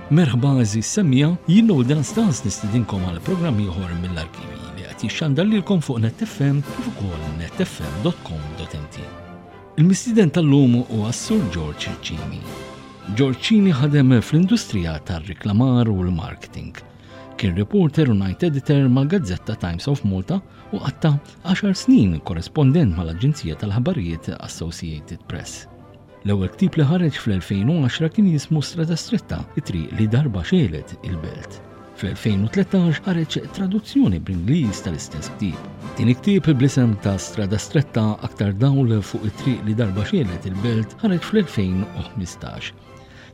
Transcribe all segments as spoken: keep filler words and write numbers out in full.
Merħba għeżież semmiegħa, jien Noel Anastas nistedinkom għal programm ieħor mill-arkivi li qed jixxandar lilkom fuq Net F M kif ukoll netfm punt com punt M T. Il-mistieden tal-lum huwa Sur George Cini. George Cini ħadem fl-industrija tar-riklamar u l-marketing. Kien reporter u night editor mal-gazzetta Times of Malta u qatta għaxar snin korrespondent mal-Aġenzija tal-Ħabarijiet Associated Press. L-ewwel ktieb li ħareġ fl-elfejn u għaxra kien jismu Strada Stretta, it-triq li darba xegħlet il-belt. Fl-elfejn u tlettax ħareġ traduzzjoni bl-Ingliż tal-istess ktieb. Tieni ktieb bl-isem ta' Strada Stretta, aktar dawl fuq it-triq li darba xegħlet il-belt, ħareġ fl-elfejn u ħmistax.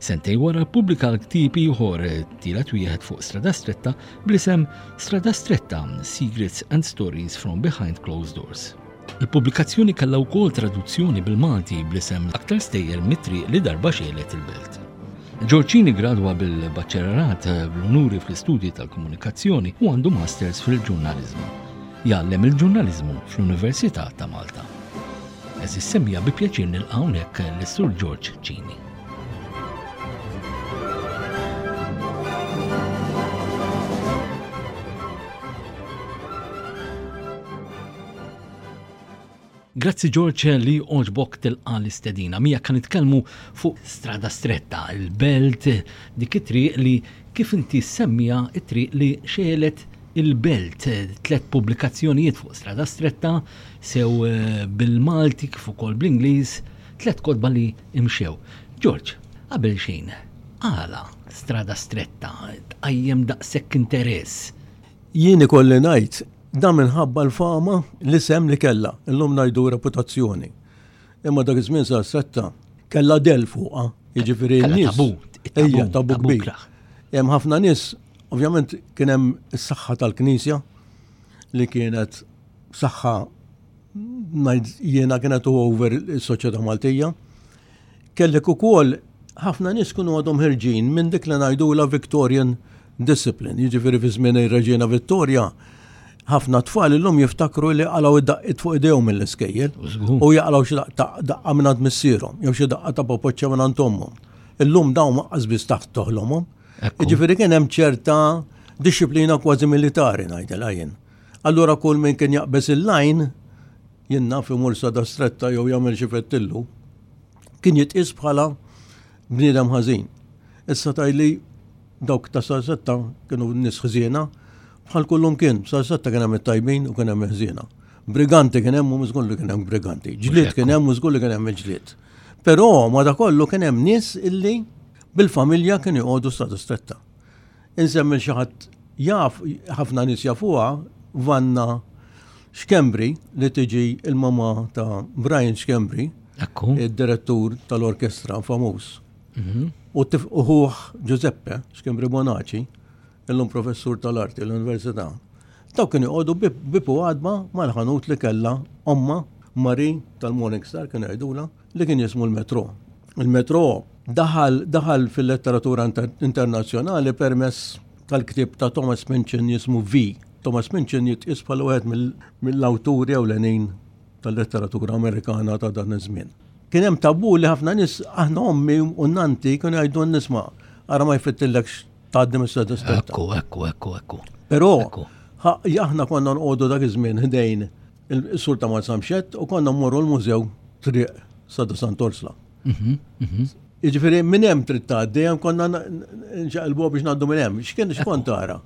Sentejn wara ppubblika l-ktieb ieħor, tielet wieħed fuq Strada Stretta, bl-isem Strada Stretta: Secrets and Stories from Behind Closed Doors. Il-pubblikazzjoni kellha wkoll traduzzjoni bil-Malti bl-isem Aktar stejjer mit-triq li darba xegħlet il-belt. George Cini gradwa bil-baċċellerat bl-unuri fl-istudji tal-komunikazzjoni u għandu masters fil-ġurnalizmu. Jgħallem il-ġurnalizmu fl-Università ta' Malta. Għeżież semmiegħa, bi pjaċir nilqa' hawnhekk lis-Sur George Cini. Grazzi, George, li għoġbok tilqa l-istedina. Mija kan nitkellmu fuq Strada Stretta, il-belt, dik it-triq li, kif inti semmija, it-triq li xegħlet il-belt. Tlet pubblikazzjonijiet fuq Strada Stretta, sew eh, bil-Malti kif ukoll bl-Ingliż, tlet kotba li imxew. George, qabel xejn, għala Strada Stretta tqajjem daqshekk interess? Jien ikolli ngħid dan minħabba l-fama, l-isem li kella, illum ngħidu reputazzjoni. Imma dak iż-żmien Strada Stretta kellha del fuqha, jiġifieri Kellha n-nies. tabu, it-tabu, Ejja, tabu tabu kbir. kraħ. Hemm ħafna nies, ovvjament kien hemm is-saħħa tal-Knisja li kienet saħħa, ngħid jiena, kienet over is-soċjetà Maltija. Kellek ukoll ħafna nies kienu għadhom ħerġin minn dik li ngħidula Victorian discipline, jiġifieri fi żmien ir-Reġina Vittoria, ħafna tfal illum jiftakru li qalgħu id-daqqiet fuq idejhom mill-iskejjel Żgur. u jaqilgħu xi daqqa daqqa minn għand missierhom jew xi daqqa ta' popoċċa minn għand ommhom. Illum dawn lanqas biss taħt toħlomhom. Ekku. Jiġifieri kien hemm ċerta disciplina kważi militari, ngħidilha jien. Allura kull min kien jaqbeż il-line, jien naf, imur Strada Stretta jew jagħmel xi fettillu, kien jitqis bħala bniedem ħażin. Issa tgħidli dawk ta' Strada Stretta kienu nies ħżiena, bħal kullum kien, Strada Stretta kien hemm it-tajbin u kien hemm il-ħżiena. Briganti kien hemm u żgur li kien hemm briganti. Ġlied kien hemm u żgur li kien hemm il-ġlied. Però ma da kollu kien hemm nies illi bil-familja kienu joqogħdu Strada Stretta. Insemmi xi ħadd jaf, ħafna nies jafuha, Vanna Schembri, li tiġi il-mama ta' Brian Schembri, Ekku. id-direttur tal-orkestra famuż. Mhm. U tif- u ħuh Giuseppe Schembri Bonaci, illum professur tal-arti l-Università. Daw kienu joqogħdu bieb bieb u għadba mal-ħanut li kellha omma Mari tal-Morning Star, kienu jgħidula, li kien jismu l-Metro. Il-Metro daħal daħal fil-letteratura inter internazzjonali permess tal-ktieb ta' Thomas Minchin jismu V. Thomas Minchin jitqis bħala wieħed mill- mill-awturi ewlenin tal-letteratura Amerikana ta' dan iż-żmien. Kien hemm tabu li ħafna nies, aħna ommi u nanti kienu jgħidu nisma' ara ma jfittillekx tgħaddi mis-Strada Stretta. Ekku, ekku, ekku, ekku. Però Ekku. ħa- aħna konna nqogħdu dak iż-żmien ħdejn il-sur ta' Marsamxett u konna mmorru l-mużew triq Strada Sant'Orsla. Mhm, mhm. Jiġifieri minn hemm trid tgħaddi, hemm konna nxaqilbuha biex ngħaddu minn hemm. X'kien x'kont tara?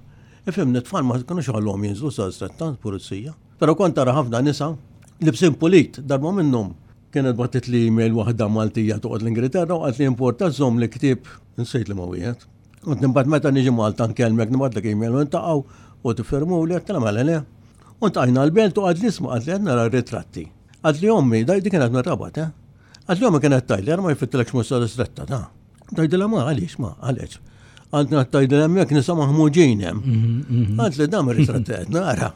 Ifhimni, tfal ma kinux ħallhom jinżlu Strada Stretta, pulizija. Però kont tara ħafna nisa libsin pulit. Darba minnhom kienet bagħtet li email waħda Maltija toqgħod l-Ingilterra u qalt li importa żomm li ktieb, insejt li ma wieħed. Kont nibgħat meta niġi Malta nkellmek, nibgħatlek email u ntaqgħu u tiffermu li għedtilha mela le. U ltqajna l-belt u qalt li isma', qalt li qed nara ritratti. Qalt li ommi, daj di kienet mir-Rabat, eh? Qalt li ommi kienet tgħidli ara ma jfittilekx mhux Strada Stretta ta'. Tgħidilha ma għaliex, ma għaliex. Għandna tgħidilha hemmhekk nisa maħmuġin hemm. Mhm, mhm. Qalt li dam ir-ritratti qed nara.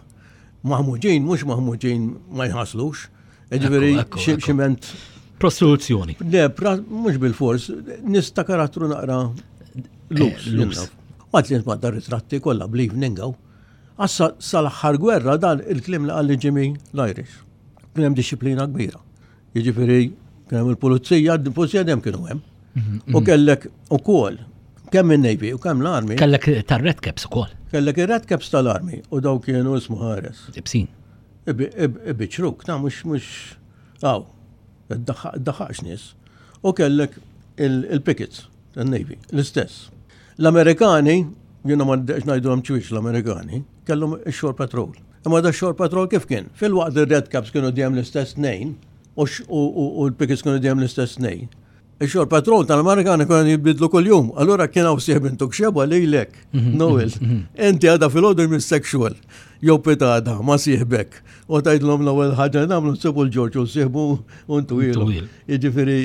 Maħmuġin, mhux maħmuġin ma jħaslux. Jiġifieri Ekku, ekku, ekku. ximent. Prostituzzjoni. Le, pra- mhux bil-fors, nies ta' karattru naqra loose. Eh, loose. Għat li nitmadda ritratti kollha bl-evening hawn. Assa sal-aħħar gwerra, dan il-kliem li qalli Jimmy l-Irish. Kien hemm disciplina kbira. Jiġifieri kien hemm il-pulizija, il-pulizija dejjem kienu hemm. U kellek ukoll Kemm in-Navy u kemm l-Army. Kellek tar-Red Caps ukoll. Kellek ir-Red Caps tal-Army u daw kienu ismu ħares. Ibsin. Ibiċruk, ta' mhux mhux aw, daħħax nies. U kellek il-pickets tal-Navy, l-istess. L-Amerikani, jiena ma ngħidulhom ċwiex l-Amerikani, kellhom ix-Shore Patrol. Imma da Shore Patrol kif kien? Fil-waqt il-Red Caps kienu dejjem l-istess tnejn u l-pickets kienu dejjem l-istess tnejn. Ix-Shore Patrol tal-Amerikani kienu jibidlu kuljum. Allura kien hawn sieħeb intuk xeba lejlek, Noel. Inti għada filgħodu jmissek xogħol. Jew pitada ma sieħbek. U tgħidlhom l-ewwel ħaġa nagħmlu nsibu l-Ġorġ u sieħbu u ntuwilu. Jiġifieri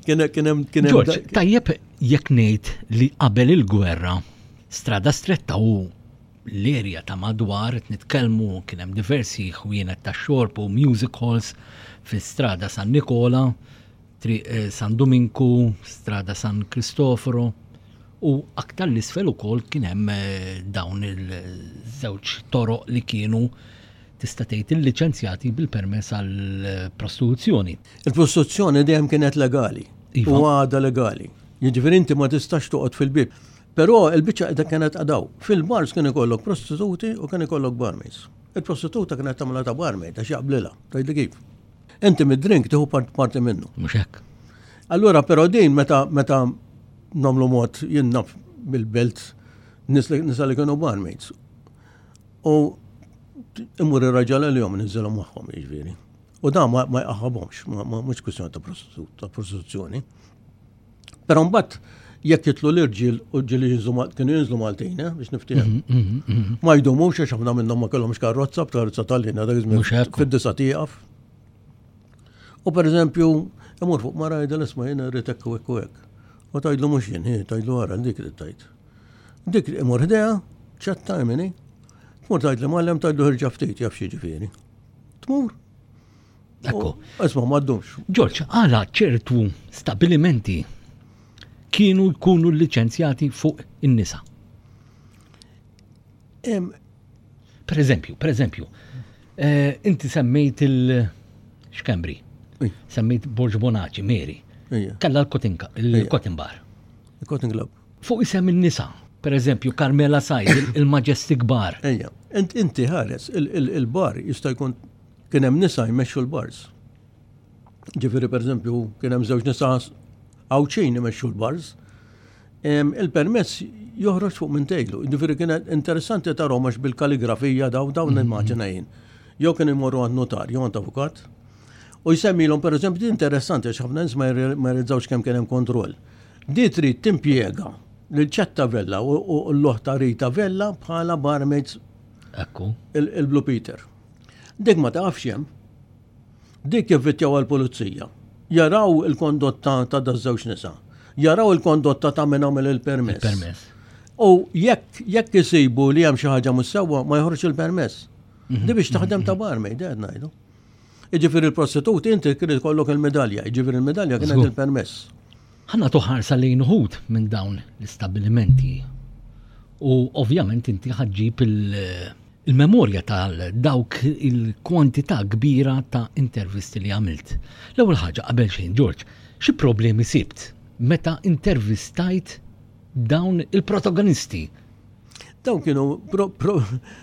kien hemm kien hemm. Ġorġ, tajjeb jekk ngħid li qabel il-gwerra Strada Stretta u l-erja ta' madwar qed nitkellmu kien hemm diversi ħwienet ta' xorb u music halls fi Strada San Nikola, Triq San Duminku, Strada San Cristoforo u aktar l-isfel ukoll kien hemm dawn il-żewġ toroq li kienu tista' tgħid illiċenzjati bil-permess għall-prostituzzjoni. Il-prostituzzjoni dejjem kienet legali. Iva. U għadha legali. Jiġifieri inti ma tistax toqgħod fil-bib. Però il-biċċa qiegħda kienet għadaw. Fil-bars kien ikollok prostituti u kien ikollok barmaids. Il-prostituta kienet tagħmilha ta' barmaid għax jaqblilha. Tgħidli kif? Inti mid-drink tieħu parti minnu. Mhux hekk. Allura però din meta meta nagħmlu mod jien naf bil-belt nisa li kienu barmaids. U imur ir-raġel għalihom niżilhom magħhom jiġifieri. U dan ma jqaħħabhomx, mhux kwistjoni ta' prostituzzjoni. Però mbagħad jekk jitlu l-irġiel u ġieli kienu jinżlu Maltin, eh, biex niftiehem. Mhm, mhm, mhm. Ma jdumux għax ħafna minnhom ma kellhomx karozza, b'karozza tal-linja dak iż-żmien fid-disa tieqaf. U pereżempju, imur fuq mara jgħidha isma' jiena rrid hekk u hekk u hekk. U tgħidlu mhux jien, hi tgħidlu ara dik li tgħid. Dik imur ħdejha, ċetta jmini. Tmur tgħid li mgħallem tgħidlu ħirġa ftit jaf xi ġifieri. Tmur. Ekku. Isma' ma ddumx. Ġorġ, għala ċertu stabilimenti kienu jkunu liċenzjati fuq in-nisa? Per eżempju, per eżempju, eh, inti semmejt il-Xkembri, semmejt Borġ Bonaci, Mary, kalla l-Cotton Bar. Il-Cotton Club. Fuq isem in-nisa, per eżempju, Carmela Said, il-Majestic Bar. Ejja, inti ħares, il-bar jista' jkun kien hemm nisa jmexxu l-bars. Ġifieri per eżempju, kien hemm żewġ nisa Għawdxin imexxu l-bars. Il-permess joħroġ fuq minn tejlu. Ġifieri kien interessanti tarahom għax bil-kaligrafija daw dawn mhm. nimmaġina jien. Jew kien imorru għand notar, jew għand avukat. U jsemmilhom pereżempju din interessanti għax ħafna nies ma jirrealizzawx kemm kien hemm kontroll. Di trid timpjega lil Ċetta Vella u l-oħta Rita Vella bħala barmaids Ekku. Il-Blue Peter. Dik ma tafx hemm. Dik jivvittjaw għall-pulizija. Jaraw il-kondotta ta' daż-żewġ nisa. Jaraw il-kondotta ta' min għamel il-permess. Il-permess. U jekk jekk isibu li hemm xi ħaġa mhux sewwa ma joħroġ il-permess. Mhm. Di biex taħdem ta' barmaid, qed ngħidu. Jiġifieri il-prostituti inti kien ikollok il-medalja, jiġifieri il-medalja kienet il-permess. Ħa nagħtu ħarsa lejn uħud minn dawn l-istabbilimenti. U ovvjament inti ħaġġib il- il-memorja tal dawk il-kwantità kbira ta' intervisti li għamilt. L-ewwel ħaġa qabel xejn, George, xi problemi sibt meta intervistajt dawn il-protagonisti? Dawn kienu pro, pro,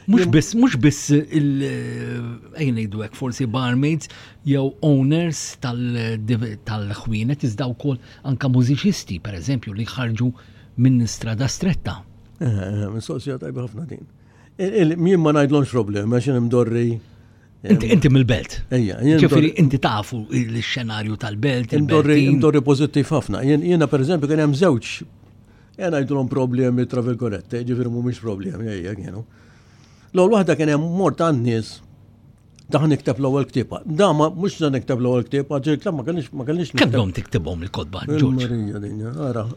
Mhux biss mhux biss il ejja ngħidu hekk forsi barmaids jew owners tal-ħwienet iżda wkoll anka mużiċisti pereżempju li ħarġu minn Strada Stretta. Eh, eh, mistoqsija tajba ħafna din. Jien ma ngħidlhomx problemi għax imdorri. Inti inti mill-belt. Ejja, Ġifieri inti tafu l-xenarju tal-belt. Imdorri imdorri pożittiv ħafna. Jiena pereżempju kien hemm żewġ jien ngħidulhom problemi tra virgolette, ġifieri mhumiex problemi ejja kienu. L-ewwel waħda kien hemm mort għand nies daħ nikteb l-ewwel ktieb. Da ma mhux se nikteb l-ewwel ktieb, għax il-ktieb ma kellix ma kellix Kemm dom tiktibhom il-kotba, Ġorġ? Marija dinja, ara.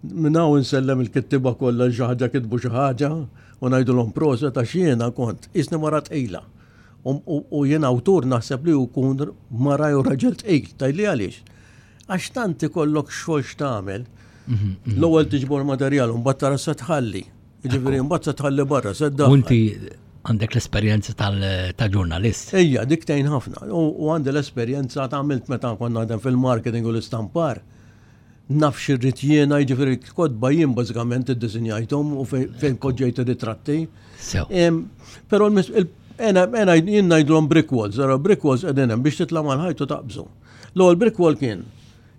Minn hawn insellem il-kittiba kollha xi ħaġa kitbu xi ħaġa u ngħidulhom proset għax jiena kont isni mara tqila. U jien awtur naħseb li jkun mara jew raġel tqil, tgħidli għaliex. Għax tant ikollok xogħol x'tagħmel. Mhm, mhm. L-ewwel tiġbor materjal u mbagħad tara se tħalli. Jiġifieri mbagħad se tħalli barra, se ddaħħal. U inti għandek l-esperjenza ta' ġurnalist. Ejja, dik tgħin ħafna. U għandi l-esperjenza ta' għamilt meta konna naħdem fil-marketing u l-istampar. Naf x'irrid jiena, jiġifieri kotba jien bażikament iddisinjajthom u fejn poġġejt ir-ritratti. Però ena jien ngħidlhom brick walls, ara brick walls qegħdin hemm biex titla' mal-ħajt u taqbżu. L-ewwel brick wall kien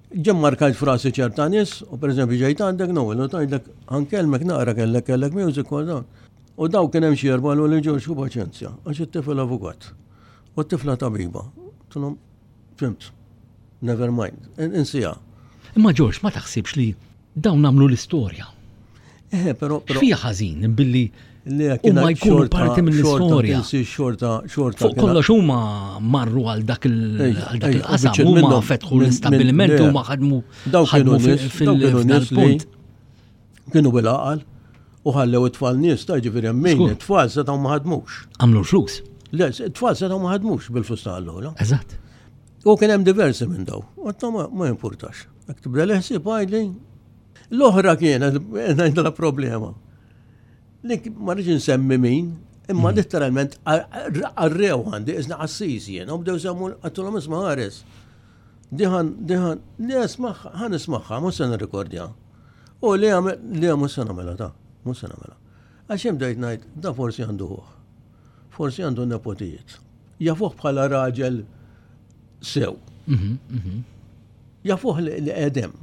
ġem markajt frasi ċerta nies, u pereżempju ġejt għandek Noel, u tgħidlek ħa nkellmek naqra kellek kellek music u dawn. U daw kien hemm xi erba' li Ġorġ u paċenzja, għax it-tifel avukat. U t-tifla tabiba. Għedtilhom, fhimt, never mind, insija. Imma Ġorġ, ma taħsibx li dawn għamlu l-istorja? Eh, però. X'fiha ħażin billi huma jkunu parti mill-istorja. Xorta, xorta. Fuq kollox huma marru għal dak il-qasam, huma fetħu l-istabbilimenti, huma ħadmu ħadmu fil-punt. Kienu bil-għaqal u ħallew it-tfal nies ta' ġifieri min it-tfal setgħu ma ħadmux. Għamlu l-flus. Le, it-tfal setgħu ma ħadmux bil-flus ta' allura. Eżatt. U kien hemm diversi minn daw. Għatta ma jimpurtax. Jekk tibda l-ħsieb għidli. L-oħra kienet ngħidla problema. Li ma rridx insemmi min, imma letteralment arrew għandi, isna qassis jien, u bdew semmu għedtilhom isma' ħares. Diħan, diħan, li ismaħħa, ħa nismagħha, mhux se nirrikordja. U li għamel, li mhux se nagħmilha ta' mhux se nagħmilha. Għax hemm bdejt ngħid, da forsi għandu ħuh. Forsi għandu nepotijiet. Jafuh bħala raġel sew. Jafuh li għedem.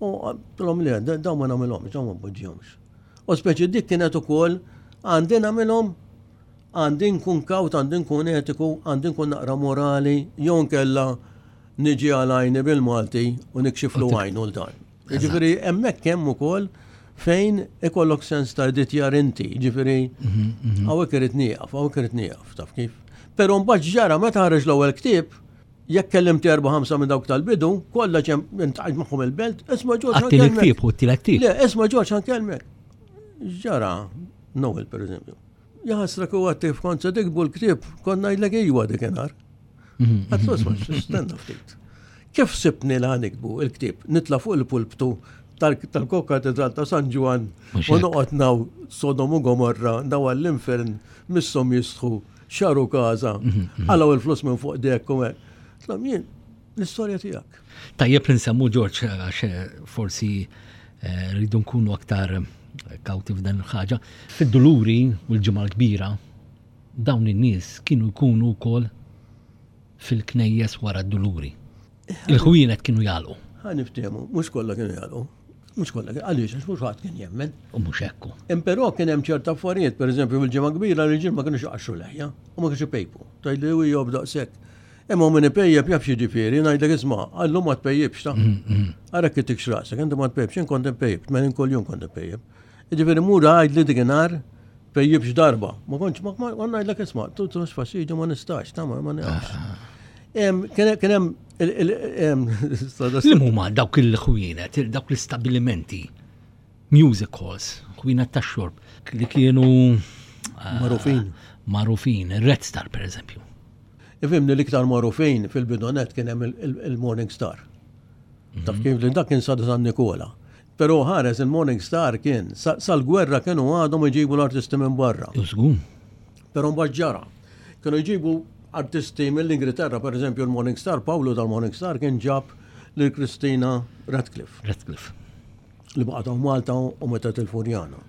U għedtilhom li daw ma nagħmilhomx, daw ma npoġġihomx. U speċi dik kienet ukoll għandi nagħmilhom, għandi nkun kawt, għandi nkun etiku, għandi nkun naqra morali, jew nkella niġi għal għajni bil-Malti u nikxiflu għajnu l-dan. Ġifieri hemmhekk hemm ukoll fejn ikollok sens ta' editjar inti, ġifieri hawnhekk irid nieqaf, hawnhekk irid nieqaf, taf kif. Però mbagħad ġara meta ħareġ l-ewwel ktieb, jekk kellimt erba' ħamsa minn dawk tal-bidu, kollha ġem intqajt magħhom il-belt, isma' Ġorġ Għatti l-ktieb u t-ktieb. Le, isma' Ġorġ ħa nkellmek. Ġara, Noel per eżempju. Jaħasra ku għatti f'kont se tiktbu l-ktieb, kont ngħidlek ejwa dikinhar. Għedtlu isma' stenna ftit. Kif sibni la niktbu il-ktieb? Nitla' fuq il-pulptu tal-Kokatedral ta' San Ġwann u noqgħod naw Sodom u Gomorra, daw għall-infern, misshom jistħu, xaru kaza, għalaw il-flus minn fuq dek u hekk. Tlam jien, l-istorja tiegħek. Tajjeb li nsemmu Ġorġ, għax forsi rridu nkunu aktar kawti f'dan il-ħaġa. Fid-Duluri u l-Ġimgħa l-Kbira, dawn in-nies kienu jkunu wkoll fil-knejjes wara d-Duluri. Il-ħwienet kienu jagħlqu. Ħa niftehmu, mhux kollha kienu jagħlqu. Mhux kollha, għaliex għax mhux ħadd kien jemmen. U mhux hekk. Però kien hemm ċerta affarijiet, pereżempju fil-Ġimgħa Kbira l-irġiel ma kienux iqaxxru leħja u ma kienux ipejpu. Tgħidli u job daqshekk. Imma min ipejjeb jaf x'jiġifieri, ngħidlek isma' għallum ma tpejjibx ta'. Ara kif tikx rasek, inti ma tpejjibx, jien kont impejjeb, tmenin kuljum kont impejjeb. Jiġifieri mur għidli dikinhar pejjibx darba. Ma kontx ma ngħidlek isma' tu tux fastidju ma nistax, ta' ma nafx. Kien hemm Li huma dawk il-ħwienet, dawk l-istabbilimenti, music halls, ħwienet tax-xorb, li kienu magħrufin. Magħrufin, Red Star per eżempju. Ifhimni l-iktar magħrufin fil-bidonet kien hemm il-Morning Star. Taf kif li dak kien sa San Nikola. Però ħares il-Morning Star kien sal-gwerra kienu għadhom iġibu l-artisti minn barra. Żgur. Però mbagħad ġara. Kienu jġibu artisti mill-Ingilterra, per eżempju il-Morning Star, Paolo tal-Morning Star kien ġab lil Christina Radcliffe. Radcliffe. Li baqgħet Malta u meta il-Furjana.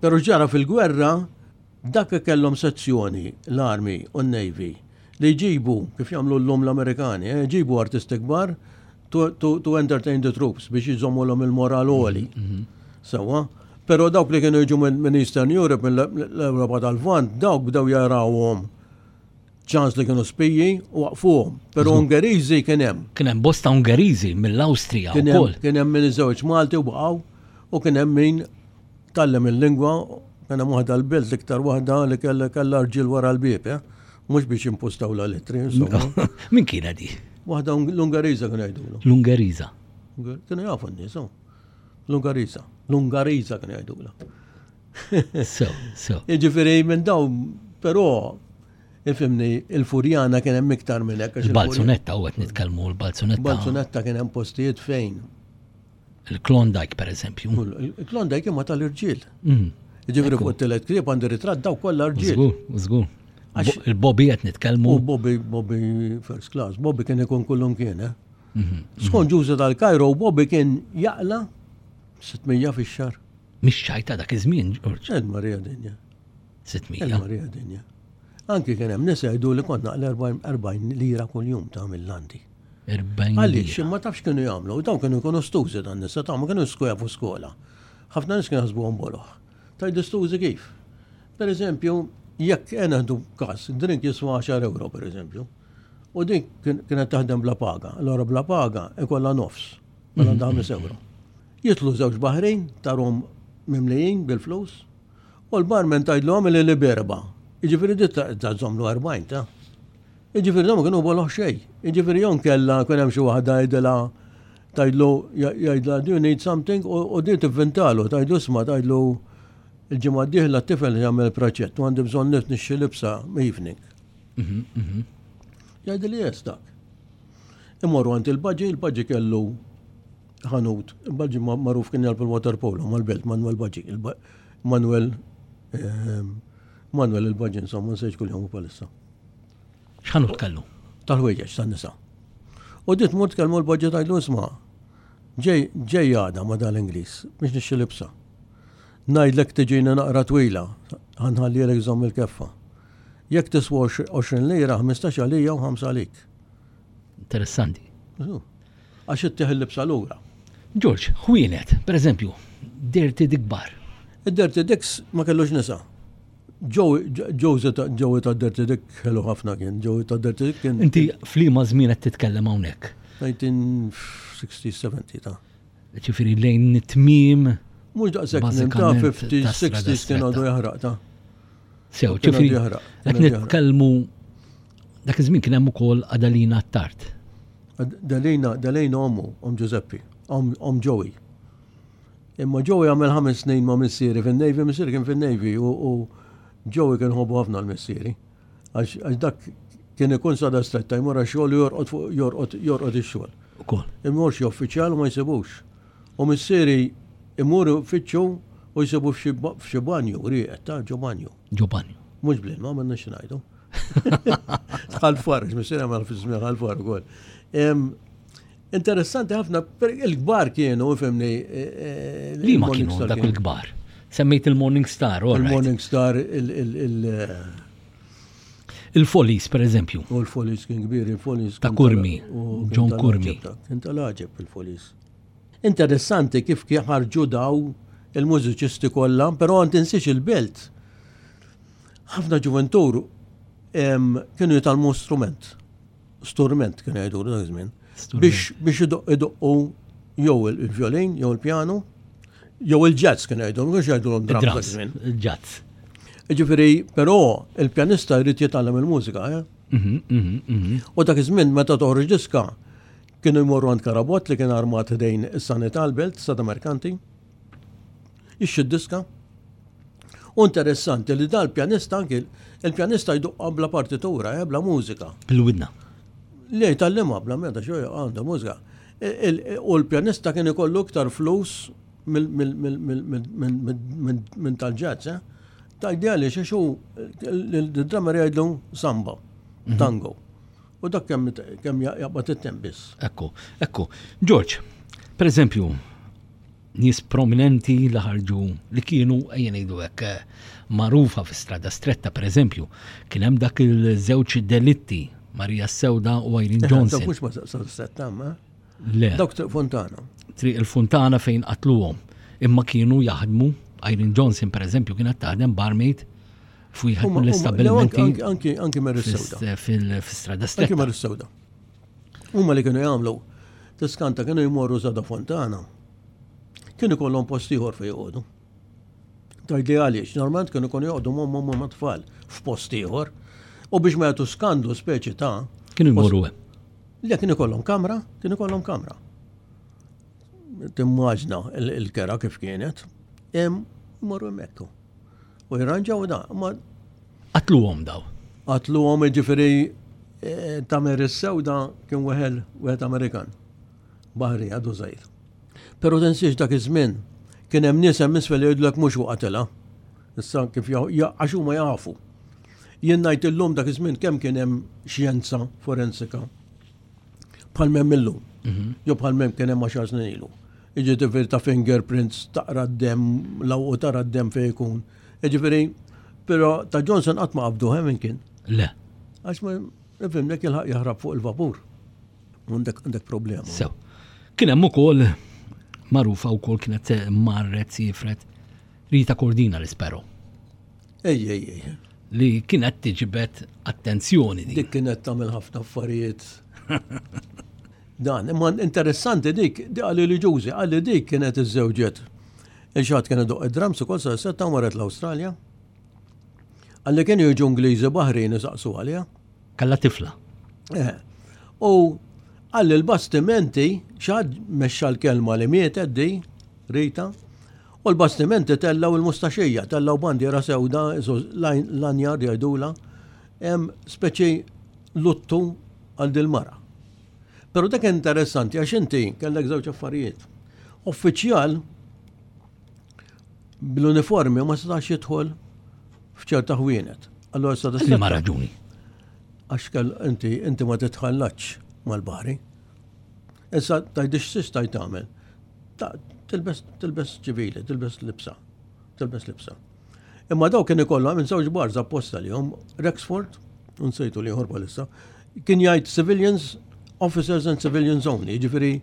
Però ġara fil-gwerra dak kellhom sezzjoni l-Army u n-Navy li jġibu, kif jagħmlu llum l-Amerikani, jġibu artisti kbar to, to, to entertain the troops biex jżommulhom il-moral għoli. Sewwa. Però dawk li kienu jiġu minn Eastern Europe, mill-Ewropa tal-Lvant, dawk bdew jarawhom ċans li kienu spiji u waqfuhom. Però Ungeriżi kien hemm. Kien hemm bosta Ungeriżi mill-Awstrija wkoll. Kien hemm min iżewġ Malti u baqgħu u kien hemm min tgħallem il-lingwa, kien hemm waħda l-belt l-iktar waħda li kellha kellha rġiel wara l-bieb, eh? Mhux biex impostaw la lettri, insomma. Min kienet di? Waħda l-Ungeriża kienu jgħidulu. L-Ungeriża. Kienu jafu n-nies, oh. L-Ungeriża. L-Ungeriża kienu jgħidulu. So, so. Jiġifieri minn dawn, però ifhimni, il-Furjana kien hemm iktar minn hekk. Il-Balzunetta, u qed nitkellmu l-Balzunetta. Il-Balzunetta kien hemm postijiet fejn. Il-Klondike, per eżempju. Il-Klondike imma tal-irġiel. Jiġifieri fuq it-tielet ktieb għandi ritratt daw kollha rġiel. Żgur, żgur. Il-Bobby qed nitkellmu. U Bobby, Bobby first class. Bobby kien ikun kullum kien, eh? Skont Ġużi tal-Kajro, Bobby kien jaqla sitt mija fix-xahar. Mhix ċajta dak iż-żmien, George. Il Marija Dinja. sitt mija. Il-Marija Dinja. Anki kien hemm nisa jgħidu li kont naqla erbgħin lira kuljum ta' mill-landi. erbgħin Għaliex, lira. Ma tafx kienu jagħmlu, dawn kienu jkunu stużi dan nisa, ta' ma kienu skoja fuq skola. Ħafna nies kienu jaħsbuhom boloh. Tajdu stużi kif? Per eżempju, jekk neħdu każ, drink jiswa għaxar euro per eżempju, u din kien- kienet taħdem bla paga, allora bla paga ikollha nofs, mela għandha ħames euro. Jitlu żewġ baħrin tarom mimlijin bil-flus, u l-barman tgħidlu li li berba. Jiġifieri dit ta' żommlu erbgħin ta' Jiġifieri dawn ma kienu boloh xejn. Jiġifieri jon kella kien hemm xi waħda jgħidilha, tgħidlu, jgħidla, "Do you need something?" u u din tivvintalu, tgħidlu, "Isma'," tgħidlu, "il-ġimgħa d-dieħla t-tifel jagħmel praċett u għandi bżonn nixtri libsa evening." Mhm, mhm. Jgħidli yes dak. Imorru għand il-baġi, il-baġi kellu ħanut. Il-baġi ma- magħruf kien jilgħab il-water polo mal-belt, Manuel Baġi. il-Ba- Manuel ehm, Manuel il-Baġi, insomma, nsejx kull jom palissa. X'ħanut kellu? Tal-ħwejjeġ tan-nisa. U dit mort kellmu l-baġi, tgħidlu, "Isma', ġej ġej għada ma dal-Ingliż biex nixtri libsa. Ngħidlek tiġina naqra twila, ħa nħallilek żomm il-keffa. Jekk tiswa għoxrin lira, ħmistax għalija u ħamsa għalik." Interessanti. Għax ittieħ il-libsa lura. George, ħwienet, per eżempju, Dirty Dick Bar. Id-Dirty Dicks ma kellux nisa. Joey Joey ta' Dirty Dick ħelu ħafna kien. Joey ta' Dirty Dick kien. Inti f'liema żmien qed titkellem hawnhekk? elf disa' mija u sittin sebgħin ta' Ġifieri lejn it-tmiem. Mhux daqshekk ta' Bażikament ħamsin, ta' strada sittin kien stretta. għadu jaħraq ta' Sew, Kien ġifieri għadu jaħraq, qed kien għadu jaħraq. nitkellmu dak iż-żmien kien hemm ukoll Adalina Attard. Dalina, Dalina ommu, om Giuseppe, om, om Joey. Imma Joey għamel ħames snin ma' missieri fin-Navy, missieri kien fin-Navy u, u Joey kien ħobbu ħafna l-missieri. Għax għax dak kien ikun Strada Stretta, jmur għax-xogħol u jorqod fuq jorqod jorqod ix-xogħol. Ukoll. Imur xi uffiċjal u ma jsibux. U missieri imur uffiċċju u jsibu f'xi ba- f'xi banju, rieqed ta' ġo banju. Ġo banju. Mhux bl-ilma, ma nix ngħidu. Ħal Far, missieri għamel fi żmien Ħal Far ukoll. Em, Interessanti ħafna, per- il-kbar kienu, fhimni. eh, Li ma kienu dak il-kbar? Semmejt il-Morning Star, all right. Il-Morning Star, il- il- il- Il-Follies, per eżempju. U l-Follies kien kbir, il-Follies. Ta' kien Curmi, tal- u kien John tal-għaġeb Curmi. ta' Kien tal-għaġeb il-Follies. Interessanti kif kif ħarġu daw il-mużiċisti kollha, però għan tinsiex il-belt. Ħafna ġuventur em, kienu jitgħallmu strument. Strument kienu jgħidu dak iż-żmien. Strument. Biex biex idoq- idoqqu jew il-violin, jew il-pjano, jew il-jazz kienu jgħidu, mhux jgħidu drums dak Il-drums, iż-żmien. il-jazz. Ġifieri, però il-pjanista jrid jitgħallem il-mużika, eh? Mhm, mhm, mhm. U dak iż-żmien meta toħroġ diska kienu jmorru għand Karabot li kien armat ħdejn is-sanità l-belt, Strada Merkanti. Ixxi diska. U interessanti li dal-pjanista anki il-pjanista jduqqa bla partitura, eh, bla mużika. Bil-widna. Le jitgħallimha bla meta xo għandha mużika. Il- U l-pjanista kien ikollu iktar flus mill- mill- mill- mill- mill- mill- mill- minn tal-jazz, eh? Tajdi għaliex għax hu il-drummer jgħidlu samba, tango. U dak kemm kemm jaqbad it-temp biss. Ekku, ekku. George, per eżempju, nies prominenti li ħarġu li kienu ejja ngħidu hekk eh, magħrufa fi Strada Stretta, per eżempju, kien hemm dak il-żewġ delitti, Maria Sewda u Irene Johnson. Dak mhux ma setta, ma? Le, Dawk Triq Fontana. Triq il-Fontana fejn qatluhom. Imma kienu jaħdmu, Irene Johnson per eżempju kienet taħdem barmaid f'wieħed Huma- huma- mill-istabbilimenti Anki anki anki Mary Sewda. fil-Strada Anki Stretta. Mary Sewda. Huma li kienu jagħmlu tiskanta kienu jmorru Strada Fontana. Kienu kollhom post ieħor fejn joqogħdu. Tgħidli għaliex, normalment kienu kienu joqogħdu m'ommhom ma' tfal f'post ieħor. U biex ma jagħtu skandlu speċi ta' Kienu jmorru hemm. Le, kienu kollhom kamra, kienu kollhom kamra. Timmaġna il- il-kera kif kienet, hemm morru hemmhekk. U jirranġaw da, ma Qatluhom daw. qatluhom, ġifieri eh, ta' Mary Sewda kien weħel wieħed Amerikan. Baħri għadu żgħir. Però tinsiex dak iż-żmien kien hemm nies hemm isfel jgħidulek mhux hu qatilha. Issa kif ja- ja- għax huma jafu. Jien ngħid illum dak iż-żmien kemm kien hemm xjenza forensika bħal m'hemm illum. Mhm. Jew bħal mem kien hemm għaxar snin ilu. Jiġifieri ta' fingerprints, taqra d-dem, law u tara d-dem fejn ikun. Jiġifieri, però ta' Johnson qatt ma qabdu hemm kien. Le. Għax ma ifhimnek, jilħaq jaħrab fuq il-vapur. Għandek għandek problema. Sew. Kien hemm ukoll magħrufa wkoll, kienet marret sifret Rita Cordina l-Ispero. Ej, ej, ej. Li kienet tiġbed attenzjoni din. Dik kienet tagħmel ħafna affarijiet. Dan, imma interessanti dik, dik qalli li ġużi, qalli dik kienet iżżewġet. Il-xat kien idoqq id-drums ukoll sa setta u marret l-Awstralja. Qalli kienu jiġu Ingliżi baħrin isaqsu għaliha. Kalla tifla. Eh. U qalli l-bastimenti, xad mexxa l-kelma li mietet di, Rita, u l-bastimenti tellaw il-mustaxija, tellaw bandiera sewda, lanyard jgħidula, speċi luttu għal dil-mara. Pero dak interessanti għax inti kellek żewġ affarijiet. Uffiċjal bl-uniformi ma setax jidħol f'ċerta ħwienet. Allora sa Ma raġuni. Għax kell inti inti ma titħallatx mal-baħri. Issa tajdix stajt tagħmel. Tilbes tilbes ċivili, tilbes libsa. Tilbes libsa. Imma daw kien ikollhom minn żewġ bars apposta li hom Rexford, unsejtu li bħalissa, kien jgħid "civilians, officers and civilians only", jiġifieri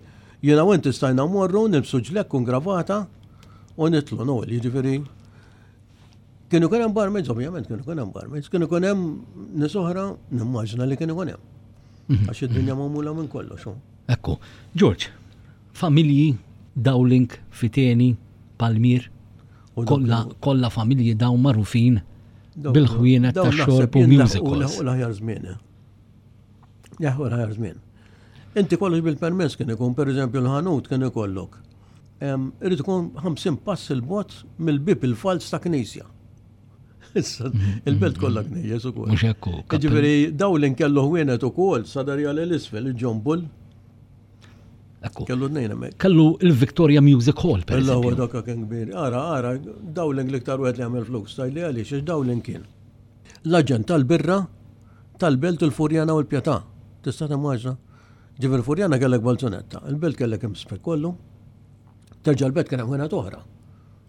jiena u inti stajna morru nilbsu ġlekk u gravata u nitlu nol, jiġifieri kienu kien hemm barmaids, ovvjament kienu kien hemm barmaids, kienu kien hemm nies oħra, nimmaġna li kienu kien hemm. Mhm. Għax id-dinja magħmula minn kollox. Ekku, George, familji Dowling, Fiteni, Palmier, kollha kollha familji dawn magħrufin bil-ħwienet ta' xorb u music halls. L-aħjar żmien. Eh. Jaħu l-aħjar żmien. Inti kollox bil-permess kien ikun, per eżempju, l-ħanut kien ikollok. Irid ikun ħamsin pass il-bot mill-bib il-fals ta' knisja. Issa, il-belt kollha knejjes ukoll. Mhux hekk. Ġifieri Dowling kellu ħwienet ukoll sadarjali l-isfel, il-John Bull. Kellu tnejn hemmhekk. Kellu il-Victoria Music Hall, per Illa huwa eżempju. Dak kien kbir. Ara, ara, Dowling l-iktar wieħed li għamel flus, tajli għaliex, għax Dowling kien l-aġent tal-birra tal-Belt, il-Furjana u l-Pjetà. Tista' timmaġna? Ġifieri Furjana kellek Balzunetta, il-Belt kellek imspek kollu. Terġa' l-Belt kien hemm ħwienet oħra.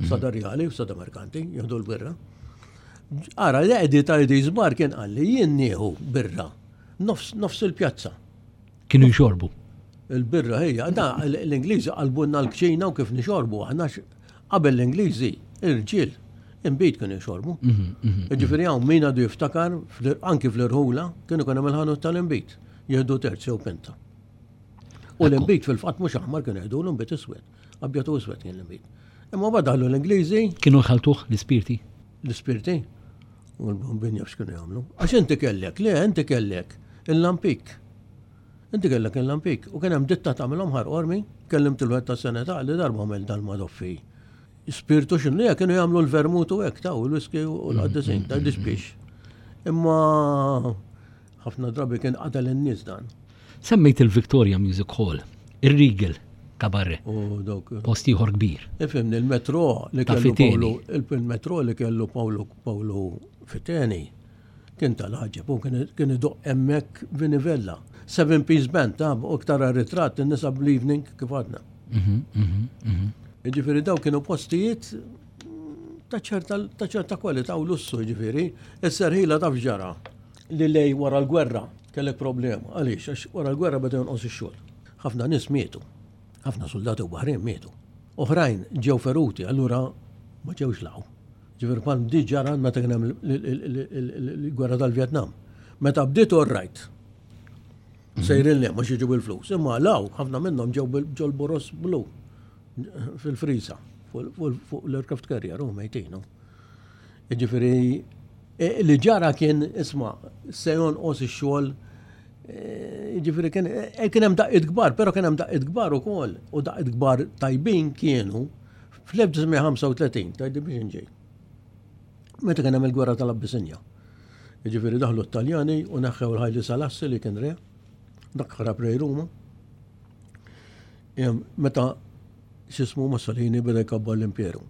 Sada Rjali u Sada Merkanti, jieħdu l-birra. Ara, l-Eddie ta' Eddie's Bar kien qalli jien nieħu birra nofs, nofs il-pjazza. Kienu jxorbu. Il-birra hija, da l-Ingliżi qalbunna l-kċina u kif nixorbu, aħna qabel l-Ingliżi, irġiel, inbid kienu jxorbu. Mhm, mhm. Ġifieri hawn min għadu jiftakar, anki fl-irħula, kienu kienu hemm il-ħanut tal-inbid, jieħdu terz jew pinta. U l-inbid fil-fatt mhux aħmar kienu jieħdu, l-inbid iswed, abjad u iswed kien l-inbid. Imma badalu l-Ingliżi. Kienu jħaltuh l-ispirti. L-ispirti, u l-bombin jaf x'kienu jagħmlu. Għax inti kellek, le, inti kellek il-lampik. Inti kellek il-lampik. U kien hemm ditta tagħmilhom Ħal Qormi, kellimt il-wieħed tas-Seneta li darba għamel dal-Madoffi. Spirtu x'inhu hija, kienu jagħmlu l-vermut u hekk taw il-whisky u l-qaddisin, ta' dispiex. Imma ħafna drabi kien qatel in-nies dan. Semmejt il-Victoria Music Hall, il-Regal Cabaret, U dawk. Post ieħor kbir. Ifhimni, il-metro li Ta' kellu Fiteni. Paolo, il-metro li kellu Paolo Paolo Fiteni kien tal-ħaġeb u kien kien idoqq hemmhekk Vinivella. Seven Piece Band ta' u iktar ritratt in-nisa bl-evening kif għadna. Mhm, mhm, mhm. Ġifieri daw kienu postijiet ta' ċerta ta' ċerta kwalità u lussu ġifieri. Is-serħila taf ġara li lej wara l-gwerra kellek problema. Għaliex? Għax wara l-gwerra beda jonqos ix-xogħol. Ħafna nies mietu. Ħafna soldati u baħrin mietu. Oħrajn ġew feruti, allura ma ġewx law. Ġifieri bħal di ġara meta kien hemm il-gwerra tal-Vjetnam. Meta bdiet all right. Sejrin le, ma jiġu bil-flus. Imma law, ħafna minnhom ġew ġol boros blu fil-frisa fuq l-aircraft carrier u mejtinu. Ġifieri e, li ġara kien isma' se jonqos ix-xogħol, e, ġifieri kien e, kien hemm daqqiet kbar, però kien hemm daqqiet kbar ukoll u daqqiet kbar tajbin kienu fl-elf disa' mija u ħamsa u tletin, tajdi biex inġej. Meta kien hemm il-gwerra tal-Abbissinja. Ġifieri daħlu t-Taljani u neħħew il-Ħajli Salassi li kien re, dak ħarab re Ruma. Meta xismu Mussolini beda jkabbar l-imperu.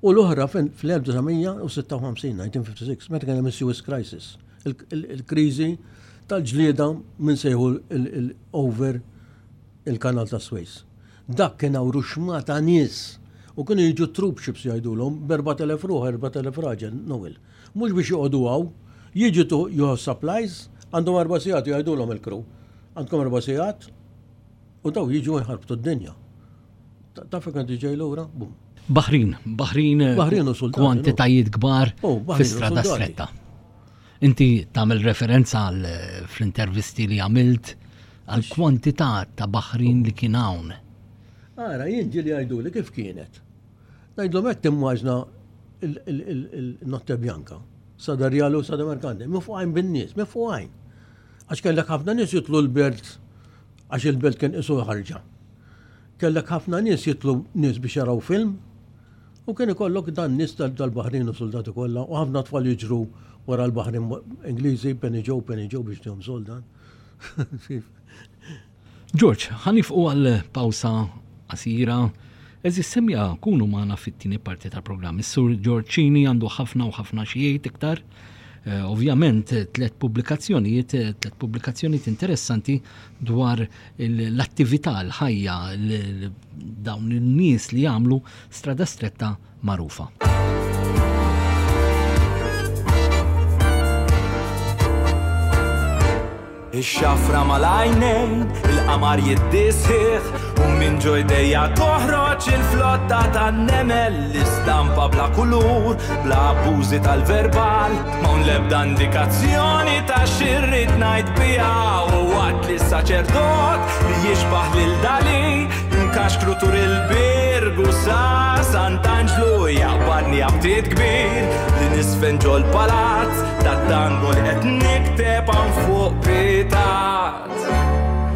U l-oħra fl-elf disa' mija u sitta u ħamsin, elf disa' mija u sitta u ħamsin, meta kien hemm is-Suez Crisis, il-kriżi tal-ġlieda minn sejħu l-over il-kanal ta' Suez. Dak kien hawn ruxmata nies. U kienu jiġu troop ships jgħidulhom b'erbat elef ruħ, erbat elef raġel, Noel. Mhux biex joqogħdu hawn, jiġu to you supplies, għandhom erba' sigħat jgħidulhom il-crew. Għandkom erba' sigħat u daw jiġu jħarbtu d-dinja. Taf kien ġej lura, bum. Baħrin, Baħrin, Baħrin u soldati, kwantitajiet kbar Oh, Baħrin u fi strada soldati. stretta. Inti tagħmel referenza għal fl-intervisti li għamilt għal kwantità ta' Baħrin li kien hawn. Ara, jien ġieli jgħiduli kif kienet. Ngħidlhom hekk timmaġna il-Notte Bianca, Strada Rjali u Strada Merkanti, mifqugħin bin-nies, mifqugħin. Għax kellek ħafna nies jitlu l-belt, għax il-belt kien isu ħarġa. Kellek ħafna nies jitlu nies biex jaraw film, u kien ikollok dan nies tal-Baħrin u soldati kollha, u ħafna tfal jiġru wara l-Baħrin Ingliżi, Penny Joe, Penny Joe biex tihom soldan. George, ħa nieqfu għal pawsa qasira. Għeżież semmiegħa kunu magħna fit-tieni parti tal-programm. Is-Sur George Cini għandu ħafna u ħafna xi jgħid iktar. Eh, ovvjament, tlet pubblikazzjonijiet, tlet pubblikazzjonijiet interessanti dwar l-attività, l-ħajja, dawn in-nies li jagħmlu strada stretta magħrufa. Ix-xafra mal-għajnejn, il-qamar jiddisħiħ, u minn ġo jdejja toħroġ il-flotta tan-nemel, l-istampa bla kulur, bla abbużi tal-verbal, m'hawn l-ebda indikazzjoni ta' xirrid ngħid biha, u waqt li s-saċerdot li jixbaħ lil Dali, nkaxkru tur il-Birgu sa Sant'Anġlu, jaqbadni aptit kbir li nisfen ġol-palazz tat-tango li qed nikteb hawn fuq pitat.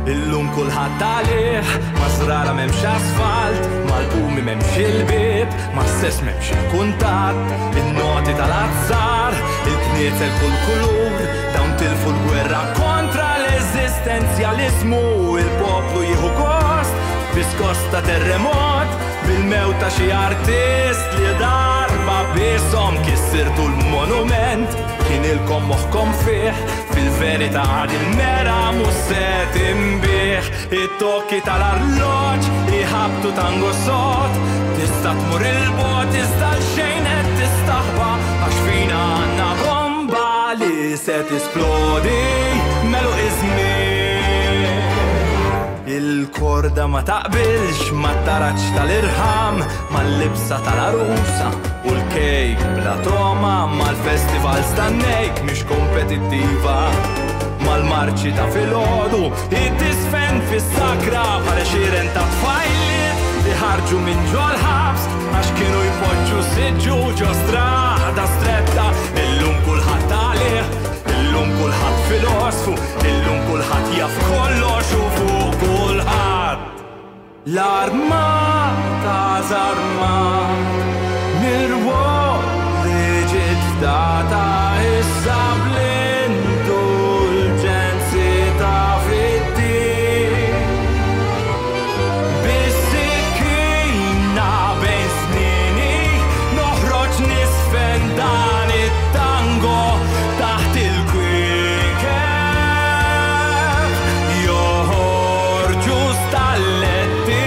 Illum kulħadd għalih, ma' żrara m'hemmx asfalt, mal-qumi m'hemmx il-bieb, ma' stess m'hemmx il-kuntatt, in-noti tal-azzar, il-knietel kull kulur, dawn tilfu l-gwerra kontra l-eżistenzjaliżmu, il-poplu jieħu gost, biskos ta' terremot, bil-mewt ta' xi artist li darba bishom kissirtu l-monument, kien ilkom moħħkom fih, fil-verità għad il-mera mhux se tinbih. It-tokki tal-arloġġ iħabtu tango sod, tista' tmur il-bogħod iżda l-xejn qed tistaħba, għax fina għandna bomba li se tisplodi melu iż-żmien. Il-korda ma taqbilx ma taraċ tal-irħam, mal-libsa tal-arusa u l-kejk bla toma, mal-festival stannejk mhix kompetittiva, mal-marċi ta' filgħodu id-disfen fis-sakra bħal xiren ta' tfajliet li ħarġu minn ġol-ħabs għax kienu jpoġġu siġġu ġo strada stretta. Illum kulħadd għalih, illum kulħadd filosfu, illum kulħadd jaf kollox u fuq kulħadd. L-armata żarmat mir-rwol li ġiet fdata issa bl-indulġenzi ta' fid-din. Bis-sikkina bejn snini noħroġ nisfen dan it-tango taħt il-kwiekeb. Joħorġu stalletti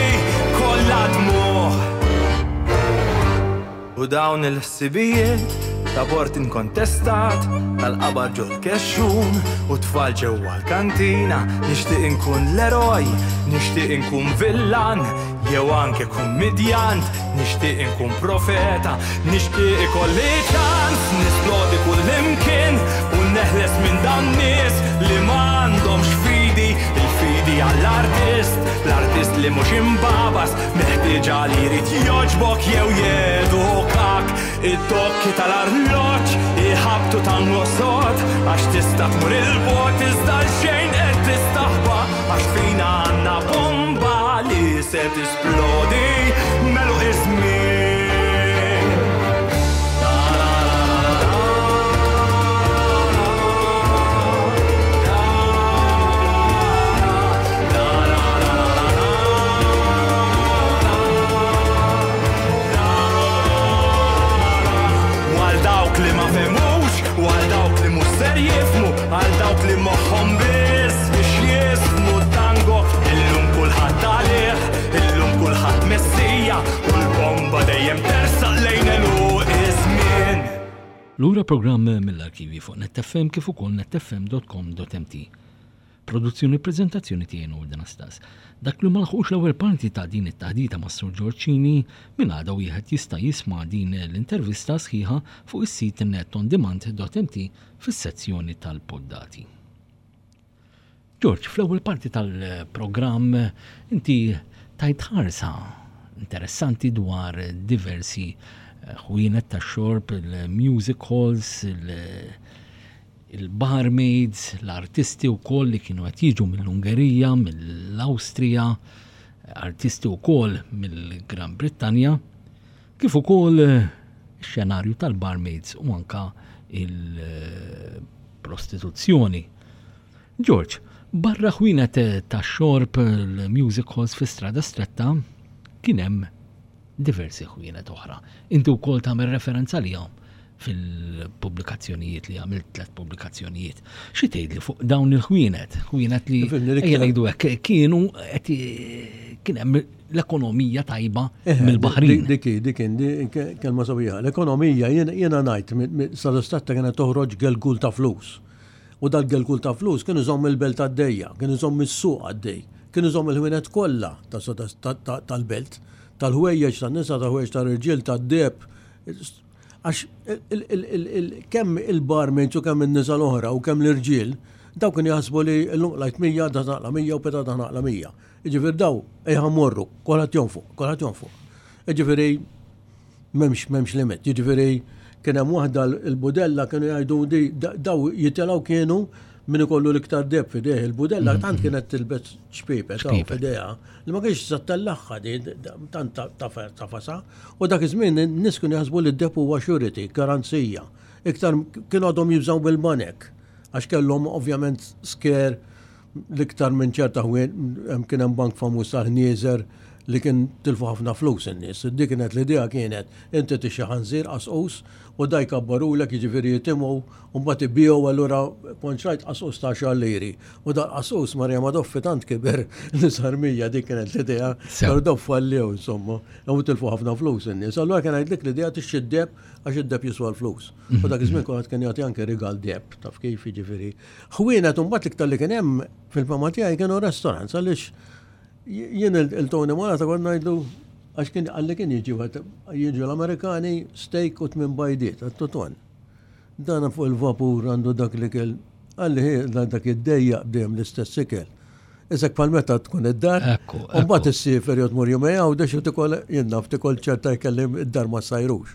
kollha dmugħ. U dawn il-ħsibijiet ta' bord inkontestat, tal-qabar ġol kexxun u tfal ġewwa l-kantina. Nixtieq inkun l-eroj, nixtieq inkun villan, jew anke kummedjant, nixtieq inkun profeta, nixtieq ikolli ċans nisplodi kull imkien u neħles minn dan nies li m'għandhomx fidi. Il-fidi għall-artist, l-artist li mhux imbabas, meħtieġa li jrid jogħġbok jew jedukak. Id-dokki tal-arloġġ iħabtu tango sod, għax tista' tmur il-bogħod iżda l-xejn qed tistaħba, għax fina għandna bomba li se tisplodi melu iż-żmien. Għal dawk li ma fehmux, u għal dawk li mhux ser jifhmu, għal dawk li moħħhom biss biex jismu tango. Illum kulħadd u l-bomba dejjem tersaq lejn għeluq iż-żmien. Lura programm mill-arkivi fuq Net F M kif ukoll netfm dot com dot M T. Produzzjoni, prezentazzjoni tiegħi, Noel Anastas. Dak li ma laħqux l-ewwel parti ta' din it-taħdita ma' Sur Ġorġini, minn għada wieħed jista' jisma' din l-intervista sħiħa fuq is-sit netondemand dot M T fis-sezzjoni tal-poddati. George, fl-ewwel parti tal-programm inti tajt ħarsa interessanti dwar diversi eh, ħwienet ta' xorb, il-music halls, il- il-barmaids, l-artisti u koll li kienu qed jiġu mill-Ungerija, mill-Awstrija, artisti u koll mill-Gran Brittanja, kif ukoll eh, xenarju tal-barmaids u anka il-prostituzzjoni. George, barra ħwienet ta' xorb, l-music halls fi Strada Stretta, kien hemm diversi ħwienet oħra. Inti wkoll tagħmel referenza lihom fil-pubblikazzjonijiet li għamilt, tliet pubblikazzjonijiet. Xi tgħidli fuq dawn il-ħwienet? Ħwienet li Fimni, l-iktar- ejja ngħidu hekk kienu qed kien hemm l-ekonomija tajba mill-Baħrin. Diki, diki, di- kelma sabiħa. L-ekonomija, jiena jiena ngħid, Strada Stretta kienet toħroġ gelgul ta' flus. U dal-gelgul ta' flus kienu iżomm il-belt għaddejja, kienu iżomm is-suq għaddej, kienu iżomm il-ħwienet kollha ta' ta- ta- tal-belt, tal-ħwejjeġ tan-nisa, tal-ħwejjeġ tal-irġiel, tad-deheb. Għax il- il- il- il- kemm il-barmaids u kemm in-nisa l-oħra u kemm l-irġiel, daw kienu jaħsbu li l-lum qlajt mija, da naqla mija u pitgħada naqla mija. Jiġifieri daw ejja morru, kulħadd jonfoq, kulħadd jonfoq. Jiġifieri m'hemmx m'hemmx limit. Jiġifieri kien hemm waħda, l-budella, kienu jgħidu di daw jitilgħu kienu min ikollu l-iktar deheb f'idejh. Il-budella tant kienet tilbes ċpipet hawn Ċpipet. f'idejha li ma kienx sa tellaħħa di tant tafasa, u dak iż-żmien in-nies kienu jaħsbu li d-deheb huwa surety, garanzija. Iktar kienu għadhom jibżgħu bil-banek għax kellhom ovvjament scare l-iktar minn ċerta ħwien, kien hemm bank famuż tal-ħnieżer li kien tilfu ħafna flus in-nies. Dik kienet l-idea, kienet inti tixtri ħanżir qasqus u da jkabbarulek, jiġifieri jitimgħu, u mbagħad ibigħu, allura kont xtrajt qasqus ta' għaxar liri. U da qasqus Marja Madoffi tant kiber li sar mija, dik kienet l-idea. Sew. Però daw fallew insomma, u tilfu ħafna flus in-nies. Allura kien ngħidlek l-idea tixtri d-deheb għax id-deheb jiswa l-flus. U dak iż-żmien kulħadd kien jagħti anke rigal deheb, taf kif, jiġifieri. Ħwienet mbagħad l-iktar li kien hemm fil-fama tiegħi kienu restaurants, għaliex jien il-Tony Malata kont ngħidlu, għax kien għalli kien jiġi wieħed, jiġu l-Amerikani, steak u tmien bajdiet, għat-toton. Dana fuq il-vapur għandu dak li kell, għalli hi dak id-dejja dejjem l-istess ikel. Isek bħal meta tkun id-dar, Ekku, u mbagħad ekku. issiefer jew tmur jumej Għawdex u tikol, jien naf, tikol ċerta ikel li id-dar ma sajrux.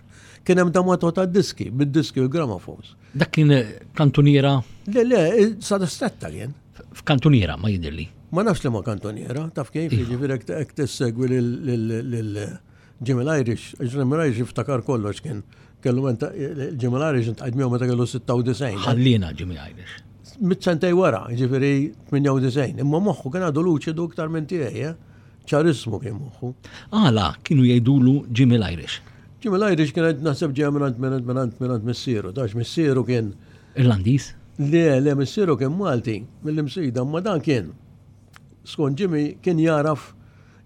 Kien hemm damato ta' diski, bid-diski u l-gramophones. Dak kien kantuniera? Le, le, Strada Stretta kien. F'kantuniera ma jidirli. Ma nafx li ma kantoniera, taf kif, Iva. jiġifieri hekk tissegwi lil Jimmy Irish, Jimmy Irish iftakar kollox, kien kellu menta Jimmy Irish iltqajt miegħu meta kellu sitta u disgħin. Ħallina Jimmy Irish. Mit sentej wara, jiġifieri tmienja u disgħin, imma moħħu kien għadu luċidu iktar minn tiegħi, eh? Ċarismu kien moħħu. Għala kienu jgħidulu Jimmy Irish? Jimmy Irish kien naħseb ġej minn minn minn minn missieru, dax missieru kien Irlandiż? Le, le, missieru kien Malti, mill-Imsida, ma dan kien, skont Jimmy, kien jaraf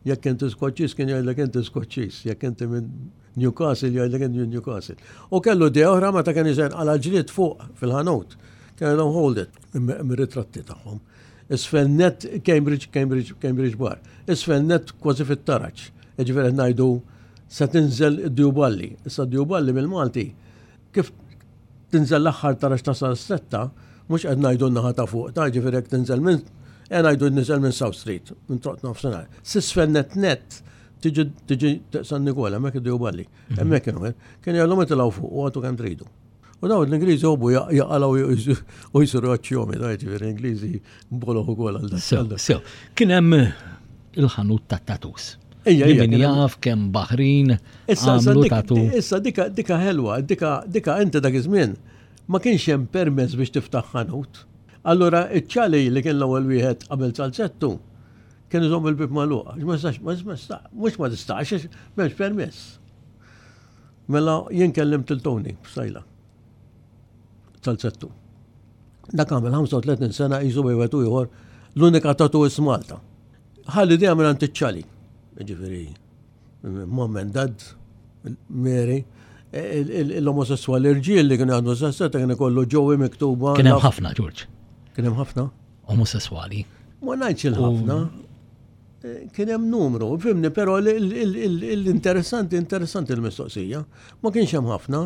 jekk inti Skoċċiż, kien jgħidlek inti Skoċċiż, jekk inti minn Newcastle, jgħidlek inti minn Newcastle. U kellu idea oħra meta kien iżen għala ġlied fuq fil-ħanut. Kien jgħidhom "Hold it", mir-ritratti tagħhom. Isfel net Cambridge, Cambridge, Cambridge Bar. Isfel net kważi fit-taraġ. Jiġifieri ngħidu se tinżel id-Djuballi. Issa d-Djuballi mill-Malti, kif tinżel l-aħħar taraġ ta' Stretta, mhux qed ngħidu n-naħa ta' fuq, ta' ġifieri jekk tinżel minn, qed ngħidu niżel minn South Street, minn Troq Nofsinhar. S'isfel net net tiġi tiġi San Nikola, hemmhekk id-Djuballi. Hemmhekk kienu, kien jgħallhom itilgħu fuq u għatu kemm tridu. U daw l-Ingliżi jobbu jaqalgħu u jsiru għaċċjomi, da ġifieri Ingliżi boloħ ukoll għal dak. Sew, sew. Kien hemm il-ħanut ta' tattoos. Ejja, Li ejja, min kien hemm- jaf kemm Baħrin Issa, issa għamlu dik- tattoo. Issa dika dika ħelwa, dika dika inti dak iż-żmien ma kienx hemm permess biex tiftaħ ħanut. Allura iċ-ċali li kien l-ewwel wieħed qabel Salzettu kien iżomm il-bib magħluq. Ma tistax, ma tistax, mhux ma tistax, għax m'hemmx permess. Mela jien kellimt il-Tony Psaila. Salzettu. Dak għamel ħamsa u tletin sena jisu bejn wieħed u ieħor l-unika tattooist Malta. Ħalli dejjem minn iċ-ċali. Ġifieri Mom and Dad, Mary, l-omosessuali irġiel li kienu għandu sessetta kien ikollu Joey miktuba. Kien hemm ħafna, George. Kien hemm ħafna? Omosessuali. Ma ngħidx il-ħafna. Kien hemm numru, fhimni, però l-interessanti, interessanti l-mistoqsija. Ma kienx hemm ħafna.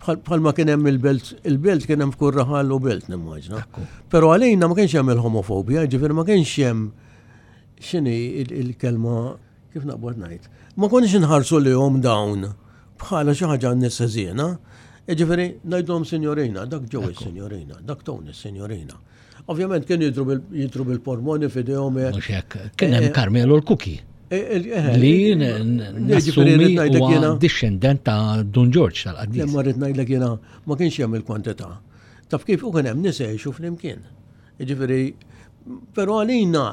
Bħalma kien hemm il-belt, il-belt kien hemm f'kull raħal u belt nimmaġna. Però għalina ma kienx hemm il-homofobja, ġifieri ma kienx hemm x'inhi il-kelma, kif naqbad ngħid. Ma konniex inħarsu lejhom dawn bħala xi ħaġa nies ħżiena. Ġifieri ngħidulhom signorina, dak Joey signorina, dak Tony signorina. Ovvjament kien jidhru bil-portmoni f'idejhom. Mhux hekk, kien hemm Carmelo l-Kuki. Li nassumi huwa dixxendent ta' Dun George tal-qaddis. Imma rrid ngħidlek jiena ma kienx hemm il-kwantità. Taf kif u kien hemm nies jgħixu flimkien. Ġifieri, però għalina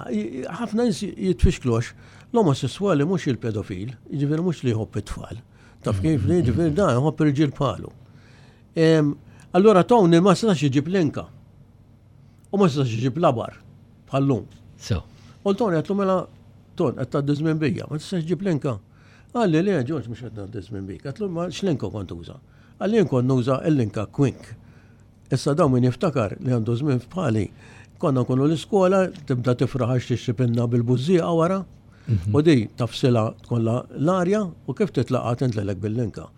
ħafna nies jitfixklux l-omosessuali mhux il-pedofil, ġifieri mhux li jħobb it-tfal. Taf kif li ġifieri dan jħobb irġiel bħalu. Allura Tony ma setax iġib linka. U ma setax iġib labar bħallum. So. U Tony għedtlu mela Ton, qed tgħaddi żmien bija, ma tistax ġib linka. Qalli le, George, mhux qed ngħaddi żmien bik. Għedtlu ma x'linka kont uża. Qalli jien kont nuża l-linka Quink. Issa dawn min jiftakar li għandu żmien bħali, konna nkunu l-iskola, tibda tifraħ għax tixtri pinna bil-bużżieqa wara, u di tafsila tkollha l-arja u kif titlaqa tintlelek bil-linka.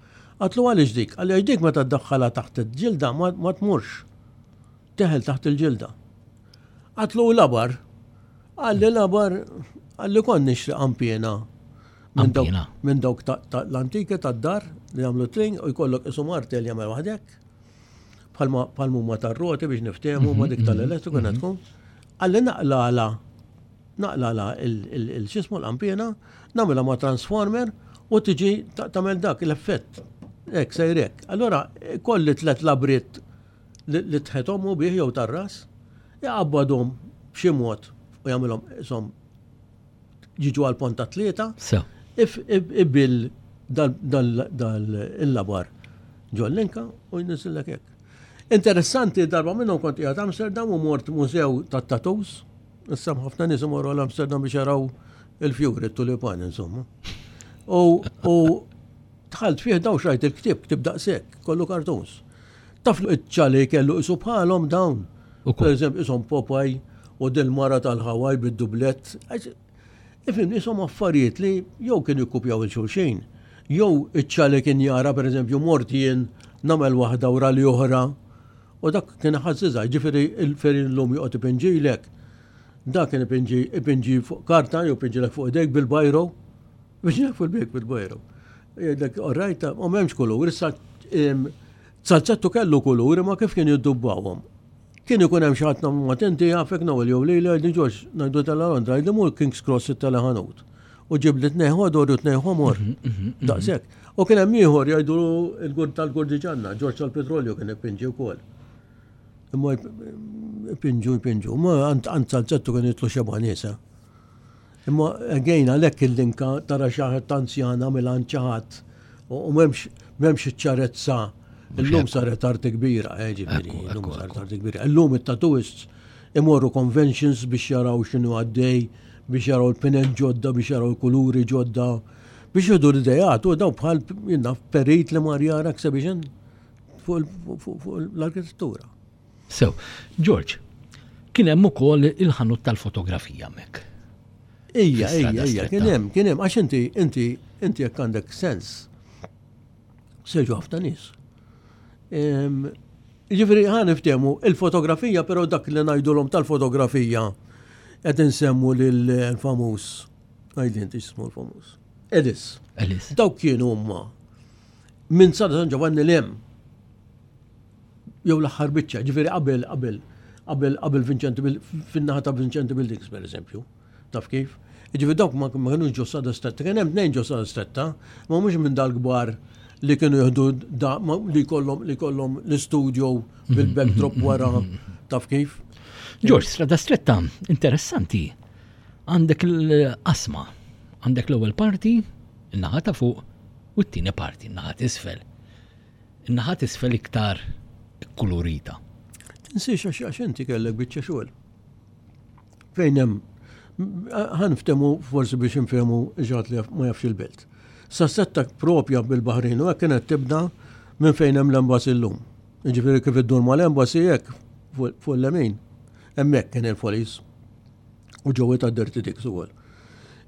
Għedtlu għaliex dik? Qalli għax dik meta ddaħħalha taħt il-ġilda ma tmurx. Teħel taħt il-ġilda. Għedtlu labar. Qalli labar, qalli kont nixtri qanpiena. Minn dawk l-antike tad-dar li jagħmlu tring u jkollok isu martel jagħmel waħdek. Bħalma huma tar-roti biex niftehmu ma dik tal-elettriku kienet tkun. Qalli naqlala, naqlala il-xismu l-qanpiena, nagħmilha ma' transformer u tiġi tagħmel dak l-effett. Hekk sejrek. Allura kolli tliet labriet li tħethom u bih jew tar-ras, jaqabbadhom b'xi mod u jagħmilhom isom jiġu għal ponta tlieta. Ibill dal-labar ġol-linka u jniżillek hekk. Interessanti, darba minnhom kont qiegħed Amsterdam u mort mużew tat-tattoos. Issa ħafna nies imorru għal Amsterdam biex jaraw il-fjuri, it-tulipan, insomma. U dħalt fih daw xrajt il-ktieb, ktieb daqshekk, kollu cartoons. Taf iċ-ċali kellu isu bħalhom dawn. Per eżempju, isom Popeye u dil-mara tal-Hawaii bid-dublett. Ifhem, isom affarijiet li jew kienu jikkupjaw il-xulxin, jew iċ-ċali kien jara, per eżempju, mort jien nagħmel waħda wara li oħra, u dak kien ħażiżha, ġifieri il-ferin l-lum joqgħod ipinġilek. Dak kien ipinġi, ipinġi fuq karta jew ipinġilek fuq idejk bil-bajro. Ipinġilek fuq idejk bil-bajro. Jgħidlek, all right, u m'hemmx kulur, issa Salzettu kellu kulur, ma kif kien jiddubbawhom. Kien ikun hemm xi ħadd ma tinti jafek Noel jew lejla jgħidli Ġorġ ngħidu tela Londra, jgħidli mur King's Cross it-teleħanut. U ġib li tnejn ħodor u tnejn ħomor. Daqshekk. U kien hemm ieħor jgħidu l-gurd tal-Gurdiġanna, Ġorġ tal-Petrolju kien ipinġi wkoll. Imma ipinġu, ipinġu. Ma għand Salzettu kien jitlu xeba' nies. Imma again għalhekk il-linka tara xi ħadd anzjana mill-għand xi ħadd u m'hemmx m'hemmx iċ-ċarezza. Illum saret arti kbira, eh, ġifieri, illum saret arti kbira. Illum it-tattooists imorru conventions biex jaraw x'inhu għaddej, biex jaraw il-pinen ġodda, biex jaraw il-kuluri ġodda, biex jieħdu l-idejat, u daw bħal jinnna perit li mar jara exhibition fuq l-arkitettura. So, George, kien hemm ukoll il-ħanut tal-fotografija hemmhekk. Ija, ija, ija, kien hemm, kien hemm, għax inti, inti, inti jekk għandek sens, seġu ħafna nies. Ġifieri ħa niftehmu il-fotografija, però dak li ngħidulhom tal-fotografija qed insemmu lill-famuż, għidli inti x'ismu l-famuż. Ellis. Ellis. Dawk kienu huma minn Strada San Giovanni l-hemm. Jew l-aħħar biċċa, ġifieri qabel, qabel, qabel, qabel Vincenti Bil-, fin-naħa ta' Vincenti Buildings per eżempju. Taf kif? Ġifieri dawk ma kinux ġo Strada Stretta, kien hemm tnejn ġo Strada Stretta, ma mhux minn dal-kbar li kienu jieħdu da, ma, li kollhom, li kollhom l-istudio bil-backdrop wara, taf kif? George, Strada Stretta, interessanti. Għandek l-qasma, għandek l-ewwel parti, in-naħa ta' fuq, u t-tieni parti, in-naħa t'isfel. In-naħa t'isfel iktar kulurita. Tinsiex għax, għax inti kellek biċċa xogħol. Fejn hemm, ħa niftehmu forsi biex nfehmu ġat li ma jafx il-belt. Sa Stretta propja bil-Baħrin u hekk kienet tibda minn fejn hemm l-embassy llum. Jiġifieri kif iddur mal-embassy hekk fuq l-lemin, hemmhekk kien il-Follies u ġewwa ta' Dirty Dicks ukoll.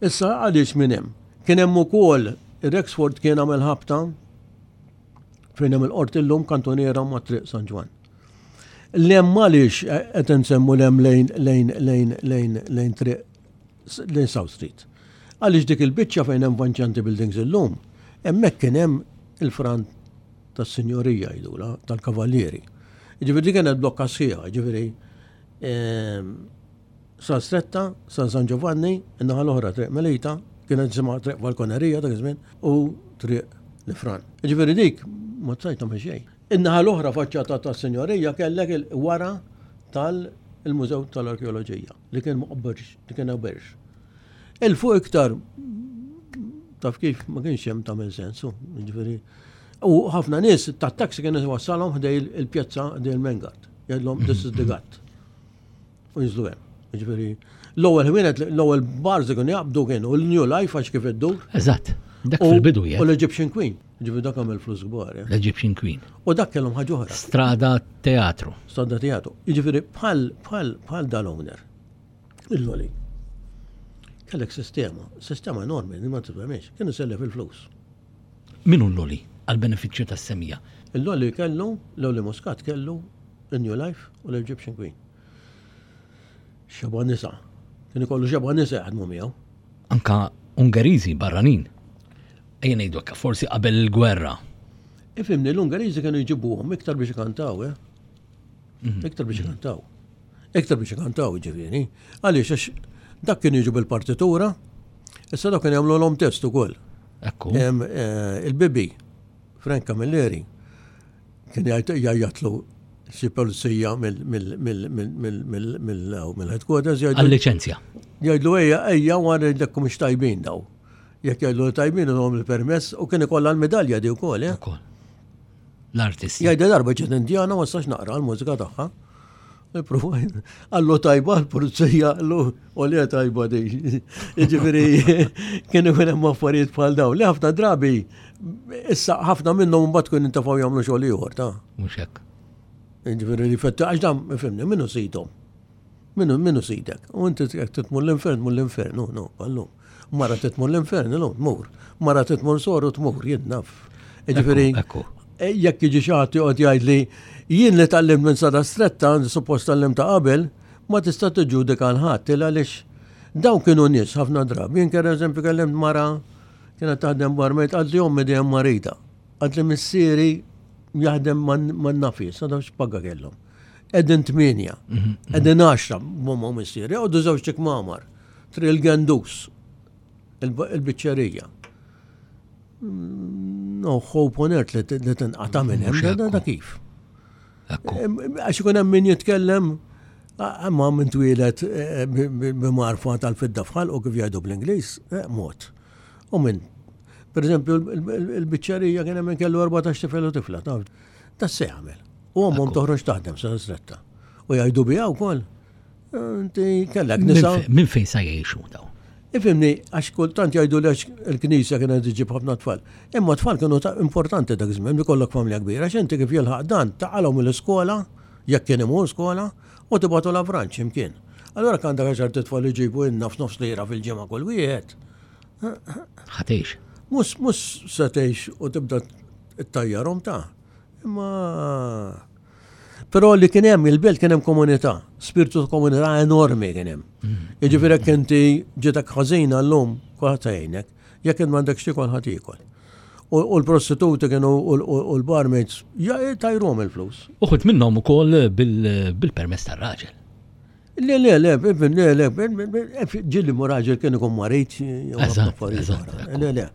Issa għaliex minn hemm? Kien hemm ukoll Rexford kien għamel ħabta fejn hemm il-qorti llum kantoniera ma' Triq San Ġwann. L-hemm għaliex qed insemmu l-hemm lejn lejn lejn lejn lejn triq lejn South Street. Għaliex dik il-biċċa fejn hemm Vanċanti Buildings illum, hemmhekk kien hemm il-front tas-sinjorija jgħidula, tal-kavallieri. Ġifieri dik kienet blokka sħiħa, ġifieri ehm, sa Stretta, sa San Giovanni, in-naħa l-oħra Triq Melita, kienet jisimha Triq Falkonerija dak iż-żmien, u Triq l-Ifran. Ġifieri dik ma tsajt tagħmel xejn. In-naħa l-oħra faċċata tas-sinjorija kellek il-wara tal-Mużew tal-Arkeoloġija li kien moqberx, li kien berx. Il-fuq iktar taf kif ma kienx hemm tagħmel sensu, ġifieri. U ħafna nies tat-taxi kienu wassalhom ħdej il-pjazza ħdej il-Mengard. Jgħidlhom this is the gut. U jinżlu hemm. Ġifieri l-ewwel ħwienet, l-ewwel bars li kienu jaqbdu kienu l-New Life għax kif iddur. Eżatt. Dak fil-bidu U l-Egyptian Queen. Ġifieri dak għamel flus kbar. Eh. L-Egyptian Queen. U dak kellhom ħaġa oħra. Strada Teatru. Strada Teatru. Jiġifieri bħal bħal bħal dal-owner. Il-Loli. Kellek sistema, sistema enormi li ma tifhemx, kienu sellef il-flus. Min hu l-Loli għal-benefiċċju tas-semija? Il-Loli kellu, l-Loli Muscat kellu il-New Life u l-Egyptian Queen. Xeba nisa. Kien ikollu xeba nisa jaħdmu miegħu. Anka Ungeriżi barranin. Ejja ngħidu hekk, forsi qabel il-gwerra. Ifhimni, l-Ungeriżi kienu jġibuhom iktar biex ikantaw, eh? Mhm. Iktar biex ikantaw. Iktar biex ikantaw, ġifieri. Għaliex għax dak kien jiġu bil-partitura, issa dak kien jagħmlu l-om test ukoll. Ekku. Em, eh, Il-Bibi, Frank Camilleri, kien jgħajjatlu xi pulizija mill-headquarters jgħidlu Għal-liċenzja. jgħidlu ejja ejja wara jgħidlek mhux tajbin daw. Jekk jgħidlu li tajbin ilhom il-permess u kien ikollha l-medalja di wkoll, eh? Ukoll. L-artisti. Jgħidha darba ġiet Indjana ma stax naqra l-mużika tagħha. Għallu tajba l-pulizija, għallu u li tajba di. Jiġifieri kien ikun hemm affarijiet bħal dawn. Li ħafna drabi issa ħafna minnhom mbagħad kun intafgħu jagħmlu xogħol ieħor ta' Mhux hekk. Jiġifieri li fetta għax dan ifhimni minnu sidhom. Minnu minnu sidek. U inti jekk titmur l-infern, tmur l-infern, no, no, għallu. Mara titmur l-infern, no, tmur. Mara titmur soru tmur, jien naf. Jiġifieri Ekku, E, jekk jiġi xi ħadd joqgħod jgħid li jien li tgħallimt minn Sada Stretta, suppost tgħallimt ta' qabel, ma tista' tiġġudika l ħadd il għaliex dawn kienu nies ħafna drabi. Jien per eżempju kellimt mara kienet taħdem barmaid għad li ommi dejjem marida. Għad li missieri jaħdem man-nafi, sa dawn x'paga kellhom. Qegħdin tmienja, qegħdin għaxra m'omma u missieri, għoddu żewġ kmamar, Triq il-Gendus, il-biċċerija. No hope on earth li li tinqata' minn hemm, da- da kif. Ekku. Għax ikun hemm min jitkellem, imma minn twieled eh, b'marfa tal-fidda fħal u kif jgħidu bl-Ingliż, eh, mod. U minn, per eżempju, il-biċċerija kien hemm min kellu erbatax tifel u tifla, taf, ta' se jagħmel. U ommhom toħroġ taħdem sa stretta. U jgħidu biha wkoll. Inti kellek nisa. Minn fejn sa jgħixu daw? Ifhimni, għax kultant jgħidu li għax il-knisja kienet iġib ħafna tfal. Imma tfal kienu ta' importanti dak iż-żmien li kollok familja kbira, għax inti kif jilħaq dan taqalhom mill-iskola, jekk kien imur skola, u tibgħatu la franċ imkien. Allura kan dak għaxar tfal iġibu inna f'nofs lira fil-ġimgħa kull wieħed. Ħatejx. Mhux mhux se tgħix u tibda ttajjarhom ta'. Imma Però li kien hemm il-belt kien hemm komunità, spiritu ta' komunità enormi kien hemm. Jiġifieri jekk inti ġietek ħażina llum kulħadd jgħinek, jekk int m'għandekx tiekol ħadd jiekol. U u l-prostituti kienu u l- u l-barmaids ja- tajruhom il-flus. Uħud minnhom ukoll bil- bil-permess tar-raġel. Le, le, le, le, le, ġieli mu raġel kien ikun marit, jew Eżatt, affarijiet eżatt, oħra. ekku. Le, le.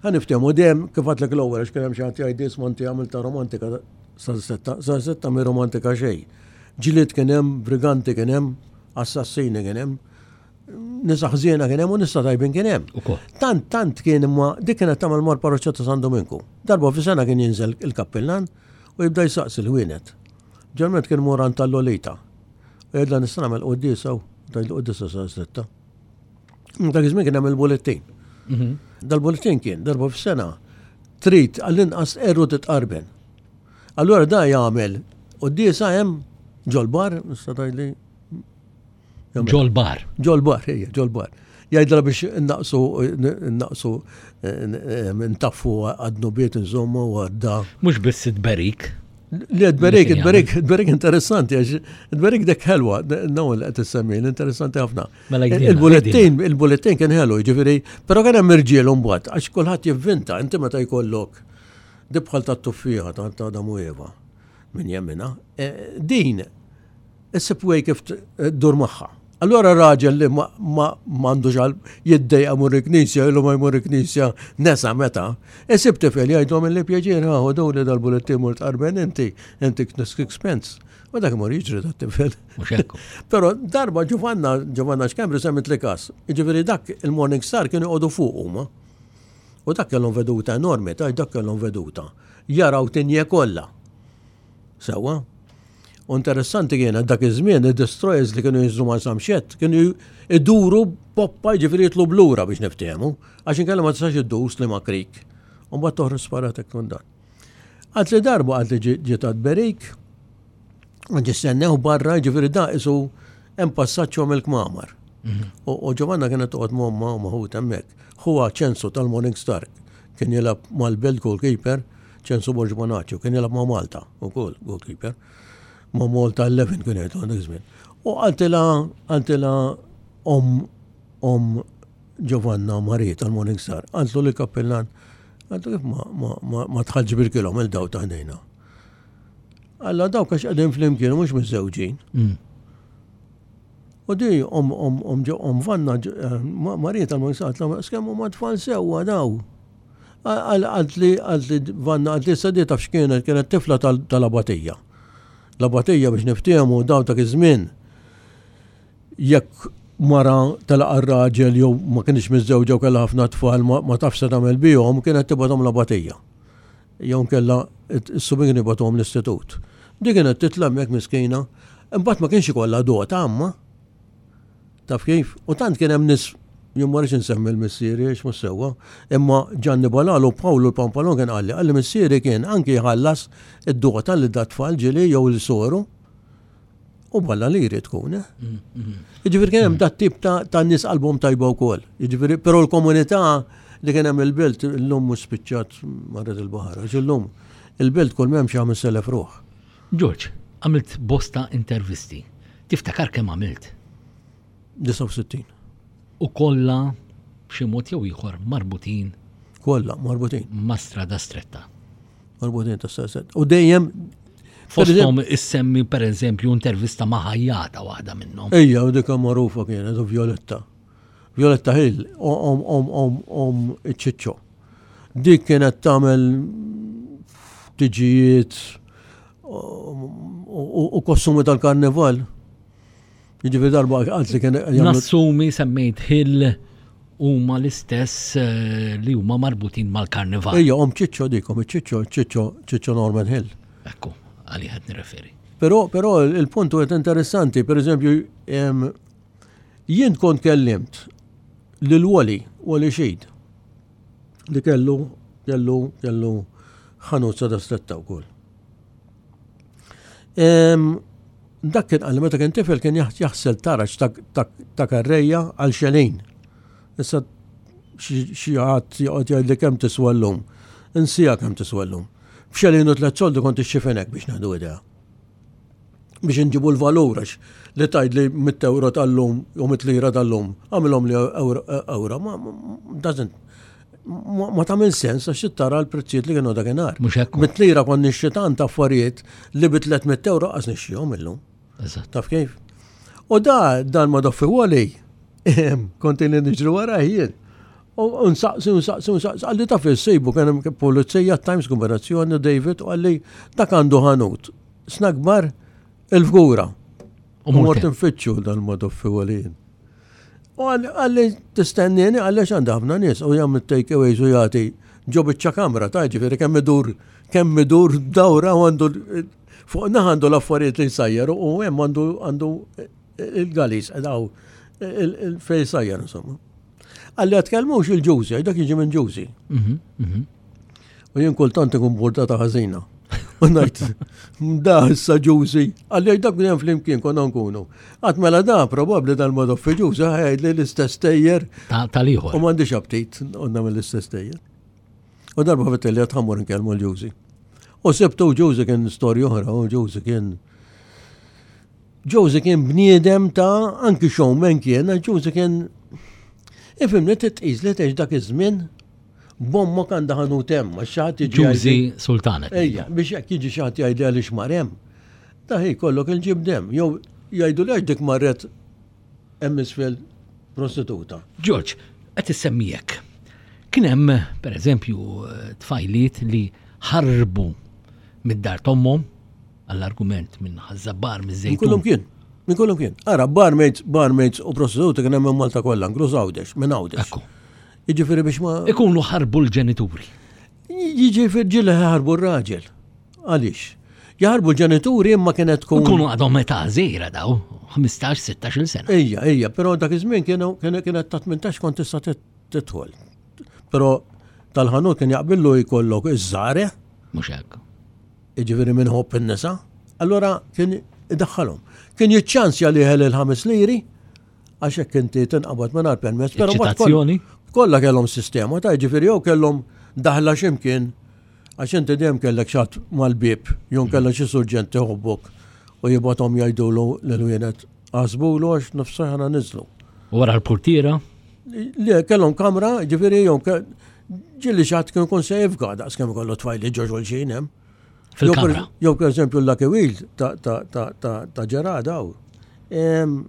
Ħa niftehmu dejjem kif għadlek l-ewwel għax kien hemm xi ħadd jgħid isma' inti għamilta romantika sa setta, sa setta mi romantika xejn. Ġlied kien hemm, briganti kien hemm, assassini kien hemm, nisa ħżiena kien hemm u nisa tajbin kien hemm. Ukoll. Tant, tant kien imma dik kienet tagħmel mar parroċċa ta' San Dominku. Darba fi sena kien jinżel il-kappillan u jibda jsaqsi l-ħwienet. Ġalment kien moran tal-Lolita. U jgħidla nista' nagħmel quddiesa u tgħidlu quddiesa sa sitta. Dak iż-żmien kien hemm il-bullettin. Mhm. Dal-bulletin kien darba f'sena trid għall-inqas erru titqarben. Allura da jagħmel quddiesa hemm ġol-bar, nista' tgħidli. Ġol-bar. Ġol-bar, ejja, ġol-bar. Jgħidla biex naqsu, naqsu, ntaffu għad-dnubiet insomma u għadda. Mhux biss it-berik. Li tberik, tberik, tberik interessanti, għax tberik dek ħelwa, naw li qed issemmi, interessanti ħafna. Mela jgħidilna, Il-bullettin, il-bullettin kien ħelu, ġifieri, però kien hemm irġiel mbagħad, għax kulħadd jivvinta, inti meta jkollok dibħal tat-tuffieħa ta' ta' Adamu Eva, min jemmina, eh, din issib way kif ddur magħha. Allora raġel li ma m'għandux għal jiddejqa mur il-knisja, ilu ma jmur il-knisja nesa meta, isib tifel jgħidu li pjaċir ħa daw li dal-bullettin mur tqarben inti, inti expense. U dak imur jiġri dat tifel. Mhux hekk. Però darba Giovanna, Giovanna Schembri semmit li kas. Ġifieri dak il-Morning Star kienu jqogħdu fuq huma. U dak kellhom veduta enormi, ta' dak kellhom veduta. Jaraw Tigné kollha. Sewwa. U interessanti kienet dak iż-żmien id-destroyers li kienu jinżlu ma' Samxett kienu iduru poppa ġifieri jitlu blura biex niftehmu, għax inkella ma tistax iddur Sliema Creek. U mbagħad toħroġ sparat hekk dan. Għad li darba għad li ġiet berik, ġistennew barra ġifieri da isu hemm passaġġ il-kmamar. U Giovanna kienet toqgħod m'ommha u ma' ħutha hemmhekk. Huwa ċensu tal-Morning Star, kien jilgħab mal-Belt goalkeeper, ċensu Borg Bonaccio, kien jilgħab ma' Malta ukoll goalkeeper. Ma' Malta eleven kien jgħidu għandek żmien. U qaltilha qaltilha om om Giovanna Marie tal-Morning Star, qaltlu li kappillan, qaltlu kif ma, ma, ma, ma tħallġ bil-kilhom il-daw ta' ħdejna. Alla dawk għax qegħdin flimkien mhux miżżewġin. Mm. U di om om om om Vanna eh, Marie tal-Morning Star, qaltlu skemm huma tfal sewwa daw. Għalt li għalt li Vanna għalt li sadi taf x'kienet, kienet tifla tal-abatija. L-abatija biex niftehmu daw ta' iż-żmien jekk mara telaqa r-raġel jew ma kienx miżżewġa u kellha ħafna tfal ma tafx se tagħmel bihom, kienet tibgħathom l-abatija. Jew kellha is-subien kienu jibgħatuhom l-istitut. Di kienet titla' hemmhekk miskina, imbagħad ma kienx ikollha dota amma. Taf kif? U tant kien hemm nies, jien ma rridx insemmi l-missieri għax mhux sewwa, imma Gianni Balalu Pawlu l-Pampalon kien qalli, qalli missieri kien anki jħallas id-dota li dat tfal ġieli jew l-soru. U balla li jrid tkun, eh? Jiġifieri kien hemm dat tip ta', ta' nies qalbhom tajba wkoll. Jiġifieri, però l-komunità li kien hemm il-belt illum mhux spiċċat marret il-baħar, għax illum il-belt kull m'hemm xi ħames elef ruħ. George, għamilt bosta intervisti. Tiftakar kemm għamilt? disgħa u sittin. U kollha b'xi mod jew ieħor marbutin. Kollha marbutin. Ma' strada stretta. Marbutin ta' strada stretta. U dejjem Fosthom issemmi per eżempju intervista ma' ħajjata waħda minnhom. Ejja, u dika magħrufa kienet u Violetta. Violetta Hill, om om om om iċ-ċiċċo. Dik kienet tagħmel tiġijiet u kostumi tal-karnival. Jiġifieri darba għalt li kien jagħmlu Nassumi semmejt Hill huma l-istess, eh, li huma marbutin mal-karnival. Ejja, om ċiċċo dik, om ċiċċo, ċiċċo, ċiċċo Norman Hill. Ekku, għalli ħed nirreferi. Però, però il-punt huwa interessanti, per eżempju, em, jien kont kellimt lil Wally, Wally Xid, li kellu, kellu, kellu ħanut sada stretta wkoll. Em, dak kien għalli meta kien tifel kien jaħ-, jaħsel taraġ ta', ta', ta' karrejja għal xelin. Issa xi, xi ħadd joqgħod jgħidli kemm tiswa llum. Insija kemm tiswa llum. B'xelin u tliet soldi kont ixxifenek biex nieħdu idea. Biex inġibu l-valur għax li tgħid li mitt euro tal-lum u mitt lira tal-lum, għamilhom li euro, euro, ma, ma, doesn't, ma, ma tagħmel sens għax tara l-prezzijiet li kienu dakinhar. Mhux hekk. Mitt lira kont nixtri tant affarijiet li bi tliet mitt euro qas nixtrihom illum. Eżatt. Taf kif? U da dan ma doffi Wally, kont ili niġri wara jien. U nsaqsi, nsaqsi, nsaqsi, għalli taf il-sejbu, kien hemm pulizija Times kombinazzjoni David, u għalli dak għandu ħanut. Snack bar il-fgura. U U mort mort nfittxu dan ma doffi Wally. U għalli tistennini, għalli x'għandha ħafna nies, u jagħmel take aways u jagħti ġo biċċa kamra, ta' ġifieri kemm idur, kemm idur dawra u għandu fuq naħa għandu l-affarijiet li jsajjar u hemm għandu, għandu il-galis, daw, il-fej sajjar, insomma. Qalli għat-tkellmux il-Ġużi, dak jiġi minn Ġużi. Mhm, mhm. U jien kultant ikun burdata ħażina. U ngħid, da issa Ġużi, qalli dak dejjem flimkien konna nkunu. Għat mela da probabbli dal-Madoffi Ġużi ħajd li l-istess tejjer Ta' Tal-ieħor. u m'għandix aptit għandna mill-istess tejjer. U darba fettilli għad ħa mmur nkellmu l-Ġużi. U sibtu Ġużi kien storja oħra, u Ġużi kien Ġużi kien bniedem ta' anki showman kien, Ġużi kien ifhimni titqis li tgħix dak iż-żmien b'ommok għandha ħanut hemm, għax xi ħadd jiġi Ġużi jgħidli- Sultanet. Ejja, biex jekk jiġi xi ħadd jgħidli għaliex mar hemm. Ta' hi kollok il-ġibdem, jew jgħidu li għax dik marret hemm isfel prostituta. George, qed issemmijek. Kien hemm, per eżempju, tfajliet li ħarbu mid-dar t'ommhom għall-argument minn Ħaż-Żabbar Minn miż-Żejtun. kullum kien. Minn kullum kien. Ara, barmaids, barmaids u prostituti kien hemm minn Malta kollha, inkluż Għawdex, minn Għawdex. Ekku. Jiġifieri biex ma Ikunu ħarbu l-ġenituri. Jiġifieri ġieli ħarbu r-raġel. Għaliex? Jaħarbu l-ġenituri imma kienet tkun. Ikunu għadhom meta żgħira daw, ħmistax sittax-il sena. Ejja, ejja, però dak iż-żmien kienu kienet ta' tmintax kont tista' tidħol. Però tal-ħanut kien jaqbillu jkollok iż-żare, Mhux hekk. jiġifieri minn ħobb in-nisa, allora kien idaħħalhom. Kien jiċċansja li ħel il-ħames liri, għax hekk inti tinqabad mingħajr permess, però mbagħad koll- Eċitazzjoni. Kollha kellhom sistema ta' jiġifieri jew kellhom daħla x'imkien għax inti dejjem kellek xatt mal-bib, jew kellek xi surġent iħobbok u jibgħathom jgħidulu lil wienet għasbulu għax nofsa ħana niżlu. U wara l-portiera, Le, kellhom kamra, ġifieri jew ke- ġieli xi ħadd kien ikun se jifga daqs kemm ikollu tfajli ġo xulxin hemm. Fil-kamra. Jew per eżempju l-Lucky Wheel ta' ta' ta' ta' ta' Ġerada hawn. Em,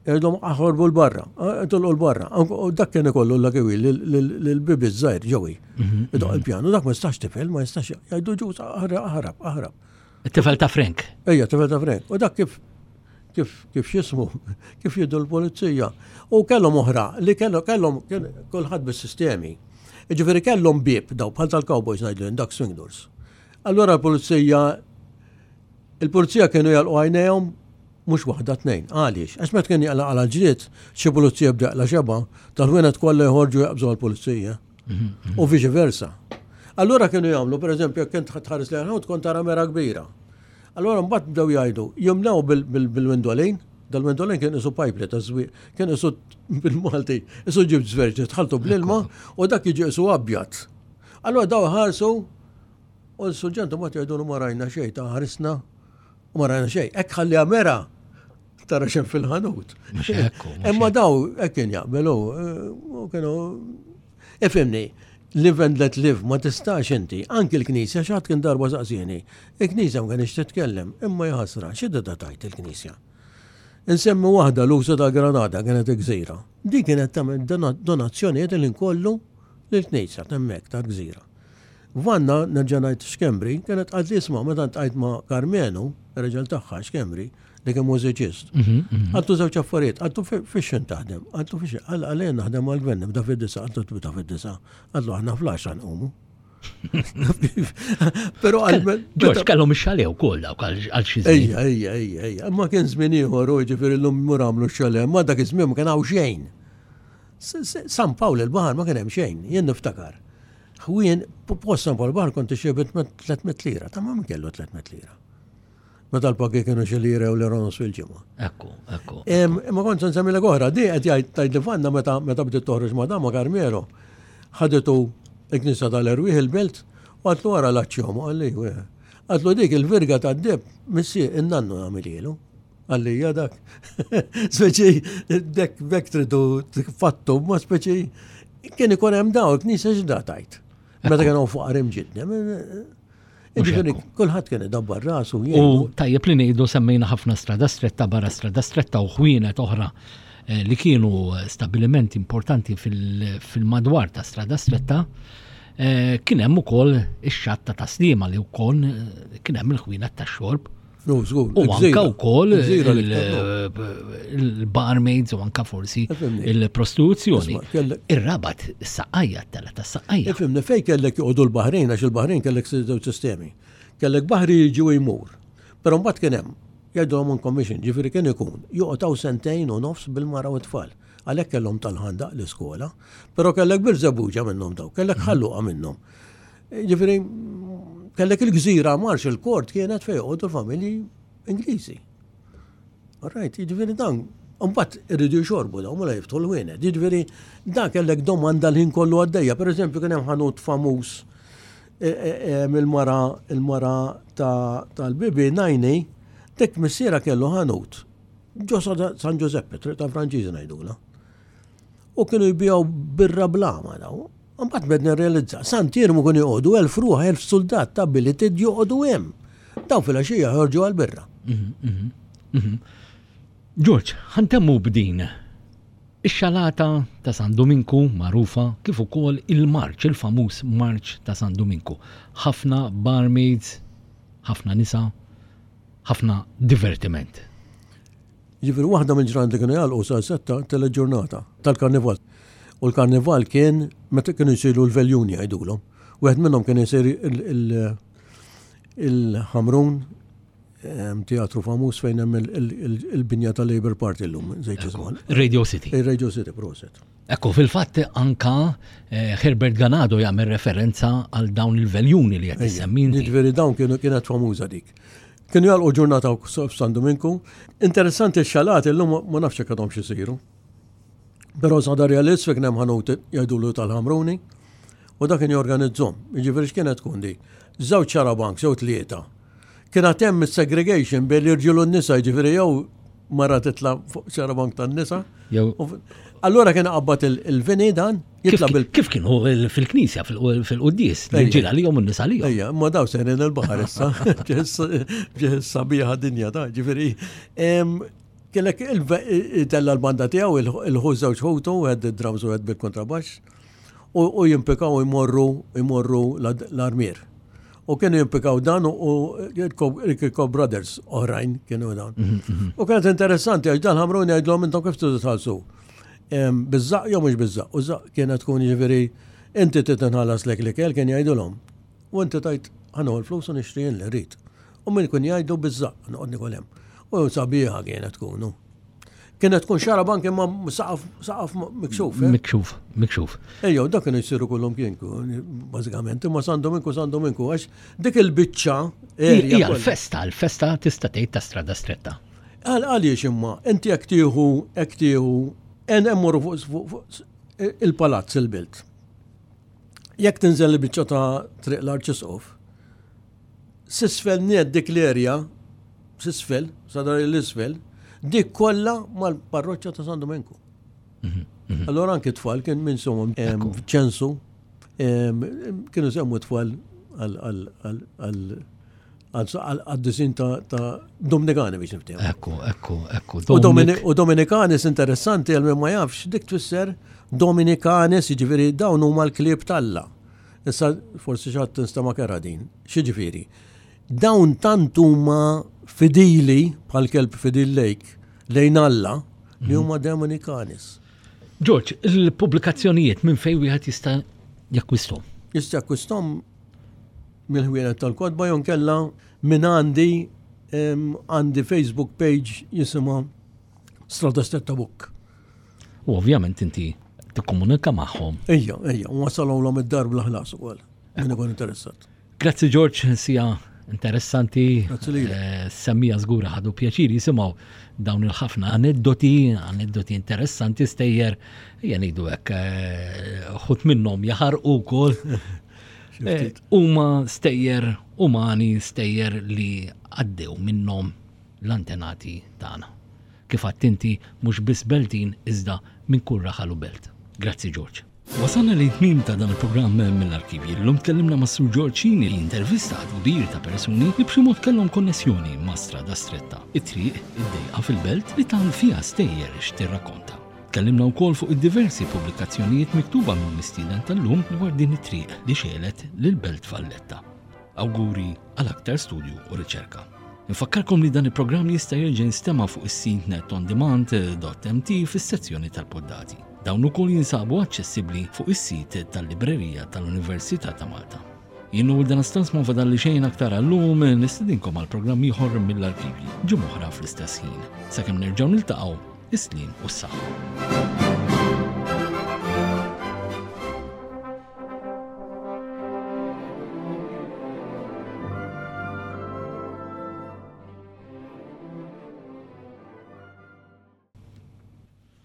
Jgħidhom aħorbu l-barra, tulqu l-barra. U dak kien ikollu l-Lucky Wheel l-bibi żgħir ġewi. Idoq il-pjanu, dak ma jistax tifel, ma jistax jgħidu ġuż aħrab, aħrab. It-tifel ta' Frank. Ejja, tifel ta' Frank. U dak kif kif kif x'ismu, kif jiddu l-pulizija. U kellhom oħra li kellhom kellhom kien kulħadd bis-sistemi. Ġifieri kellhom bieb daw bħal tal-cowboys ngħidlu dak swing doors. Allora l-pulizija il-pulizija kienu jalqu għajnejhom mhux waħda tnejn. Għaliex? Għax meta kien jaqla għal ġlied, xi pulizija bda jaqla xeba, tal-ħwienet kollha jħorġu jaqbżu għall-pulizija. U viċi versa. Allora kienu jagħmlu, per eżempju, jekk kont tħares li ħanut kont tara mera kbira. Allora mbagħad bdew jgħidu, jimlew bil-windolin, dal-windolin kien isu pipe ta' żwieq, kien isu bil-Malti, isu ġib żverġi, tħaltu bl-ilma u dak jiġi isu abjad. Allora daw ħarsu u l-surġentu ma jgħidu ma rajna xejn, ta' ħarisna u ma rajna xejn. Hekk ħalli mera tara xem fil-ħanut. Mhux hekk, mhux Imma daw hekk kien jaqbelu, eh, u kienu ifhimni, live and let live, ma tistax inti, anki l-Knisja, xatt kien darba saqsieni, il-Knisja ma kienx titkellem, imma jħasra, x'idda tajt il-Knisja? Insemmi waħda l-użu ta' Granada kienet gżira. Di kienet tagħmel dona- donazzjonijiet li nkollu lill-Knisja temmek ta' gżira. Vanna, nerġa' ngħid Xkembri, kienet qalt li isma' meta ntqajt ma' Karmenu, ir-raġel tagħha Xkembri, li kien mużiċist. Għaltu żewġ affarijiet, għaltu fiex taħdem, għaltu fiex, għal għalien naħdem għal-gvern, nibda fid-disa, għaltu tibda fid-disa, għaltu aħna fl-għaxra nqumu. Però għal. George, kellhom ix-xale wkoll dawk għal għal xi żmien. Ejja, ejja, ejja, ejja. Ma kien żmien ieħor u ġifieri llum mur għamlu x-xale, ma dak iż-żmien ma kien hawn xejn. S- S- San Pawl il-Baħar ma kien hemm xejn, jien niftakar. Ħwien, post San Pawl il-Baħar kont ixxebet tliet mitt lira, ta' ma min kellu tliet mitt lira. Meta l-pagi kienu xi lira u lira nofs fil-ġimgħa. Ekku, ekku. Em, Imma kont se nsemmilek oħra, di qed jgħid tgħid li fanna meta meta bdiet toħroġ ma' ma' Carmelo. Ħadetu il-Knisja tal-Erwieħ il-belt u għatlu wara l-aċċjom, għalli, għatlu dik il-virga tad-deb, missi in-nannu għamilielu. Għalli, ja dak. Speċi, dek bek tridu fattu, ma speċi, kien ikun hemm daw, il-Knisja x'da tajt. Meta kienu fuq qarim ġidna. Ġifieri, kulħadd kien idabbar rasu. U tajjeb li ngħidu semmejna ħafna Strada Stretta, barra Strada Stretta u ħwienet oħra eh, li kienu stabilimenti importanti fil- fil-madwar ta' Strada Stretta. eh, Kien hemm ukoll ix-xatta ta' Sliema li wkoll eh, kien hemm il-ħwienet tax-xorb. No, żgur. U anka wkoll Il-gżira li ktar, il-barmaids u anka forsi Ifhimni. il-prostituzzjoni. Isma' kellek- Ir-Rabat, is-Saqqajja, t-tela tas-Saqqajja. Ifhimni, fej kellek joqogħdu l-Baħrin, għax il-Baħrin kellek żewġ sistemi. Kellek baħri jiġi u jmur. Però mbagħad kien hemm jgħidulhom on commission, ġifieri kien ikun joqgħod sentejn u nofs bil-mara u t-tfal. Għalhekk kellhom tal-Ħandaq l-iskola, però kellek Birżebbuġa minnhom daw, kellek Ħal Luqa minnhom. Ġifieri kellek il-gżira Marshall Court kienet fejn joqogħdu l-familji Ingliżi. All right, jiġifieri dan, mbagħad iridu jxorbu dawn mela jiftħu l-ħwienet. Jiġifieri dan kellek domanda l-ħin kollu għaddejja. Per eżempju, kien hemm ħanut famuż e, e, e, mill-mara il-mara tal-bibi Najni, dik missiera kellu ħanut. Ġo San Giuseppe, triq ta' Franċiżi ngħidula. U kienu jbijaw birra blama daw. Mbagħad bed nirrealizza, Sant'Iermu kienu joqogħdu elf ruħ, elf soldat ta' billeted joqogħdu hemm. Daw fil-għaxija ħorġu għal-birra. Mhm, mhm, mhm. George, ħa ntemmu b'din. Ix-xalata ta' San Dominku magħrufa kif ukoll il-marċ, il-famuż marċ ta' San Dominku. Ħafna barmaids, ħafna nisa, ħafna divertiment. Ġifieri waħda mill-ġranet li kienu jagħlqu sa setta teleġurnata tal-karnival. U l-karnival kien meta kienu jsiru l-veljuni jgħidulhom. Wieħed minnhom kien isir il-Ħamrun teatru famuż fejn hemm il-binja tal-Labour Party llum, żejt żmien. Radio City. Il-Radio City, proset. Ekku, fil-fatt anka eh, Herbert Ganado jagħmel referenza għal dawn il-veljuni li qed issemmi inti. Ġifieri dawn kienu kienet famuża dik. Kienu jagħlqu ġurnata f'San Dominku. Interessanti x-xalat illum ma nafx jekk għadhom xisiru. Però sa Darja l-Isfel kien hemm ħanut jgħidulu tal-Ħamruni u dak kien jorganizzhom. Jiġifieri x'kienet tkun di? Żewġ xarabank, sew tlieta. Kien hemm segregation bejn l-irġiel u n-nisa, jiġifieri jew mara titla' fuq xarabank tan-nisa. Jew Allura kien qabbat il-vini dan, jitla' bil Kif kienu fil-knisja, fil-quddies, l-irġiel għalihom u n-nisa għalihom. Ejja, ma daw sejrin il-baħar issa, ġeħ sabiħa dinja ta' ġifieri. Kellek tella l-banda tiegħu il-ħu żewġ ħutu, wieħed drums u wieħed bil-kontrabaxx, u jimpikaw imorru imorru l-armier. U kienu jimpikaw dan u il-Kirkop Brothers oħrajn kienu dan. Mhm, mhm. U kienet interessanti għax dan Ħamruni jgħidlhom intom kif tridu tħallsu. Biż-żaqq jew mhux biż-żaqq. U żaqq kienet tkun jiġifieri inti trid tinħallas lek l-ikel kien jgħidulhom. U inti tajt ħa nieħu l-flus u nixtri jien li rrid. U min kun jgħidu biż-żaqq noqgħod nikol hemm. U sabiħa kienet tkunu. Kienet tkun xarabank imma saqaf saqaf mikxuf. eh? Mikxuf, mikxuf. Ejjew, dak kienu jsiru kullhom kienku, bażikament, imma San Dominku, San Dominku, għax dik il-biċċa area Hija kollha. l-festa, l-festa tista' tgħid ta' strada stretta. Għal għaliex imma, inti jekk tieħu, jekk tieħu, en emmorru fuq fuq- fuq il-palazz il-belt. Jekk tinżel il-biċċa ta' triq l-Arċisqof, s'isfel nett dik l-erja, s'isfel, sadar l-isfel, dik kollha mal-parroċċa ta' San Dominku. Allora anki tfal kien minn sumhom ċensu, em, kienu semmu tfal għal għad-disin ta' ta' Dominikani biex niftehmu. Ekku, ekku, ekku. U Domini- U Dominikanis interessanti għal min ma jafx, dik tfisser Dominikanis, jiġifieri dawn huma l-klieb t'Alla. Issa forsi xi ħadd tinstema' kera din. X'jiġifieri? Dawn tant huma fidili bħal kelb fidil lejk lejn Alla li huma Dominikanis. George, il-pubblikazzjonijiet minn fejn wieħed jista' jakkwistom? Jista' jakkwistom mill-ħwienet tal-kotba jew kella minn għandi em, għandi Facebook page jisimha Strada Stretta Book. U ovvjament inti tikkomunika magħhom. Ejja, ejja, u wasalhom id-dar bla ħlas ukoll. Min ikun interessat. Grazzi George, sija interessanti. Grazzi lilek. Eh, Semmija żgura ħadu pjaċir jisimgħu dawn il-ħafna aneddoti, aneddoti interessanti stejjer, ejja ngħidu hekk, eh, ħut minnhom jaħarqu wkoll. Xi ftit. Eh, Huma stejjer umani, stejjer li għaddew minnhom l-antenati tagħna. Kif għedt inti mhux biss Beltin iżda minn kull raħal u belt. Grazzi George. Wasalna li tmim ta' dan il-programm mill-arkivji. L-lum tkellimna ma' Sur George Cini li intervista kbir ta' persuni li b'xi mod kellhom konnessjoni ma' strada stretta. It-triq id-dejqa fil-belt li tan fiha stejjer x'tirrakkonta. Tkellimna wkoll fuq id-diversi pubblikazzjonijiet miktuba minn mistieden tal-lum dwar din it-triq li xegħlet lil Belt Valletta. Awguri għal aktar studju u riċerka. Nfakkarkom li dan il-programm jista' jerġa' jinstema' fuq is-sit netondemand.mt fis-sezzjoni tal-poddati. Dawn ukoll jinsabu aċċessibbli fuq is-sit tal-Librerija tal-Università ta' Malta. Jien u dan istans ma fadalli xejn aktar għallum nistedinkom għal programm ieħor mill-arkivji ġimgħa oħra fl-istess ħin. Sakemm nerġgħu niltaqgħu, is-sliem u s-saħħa.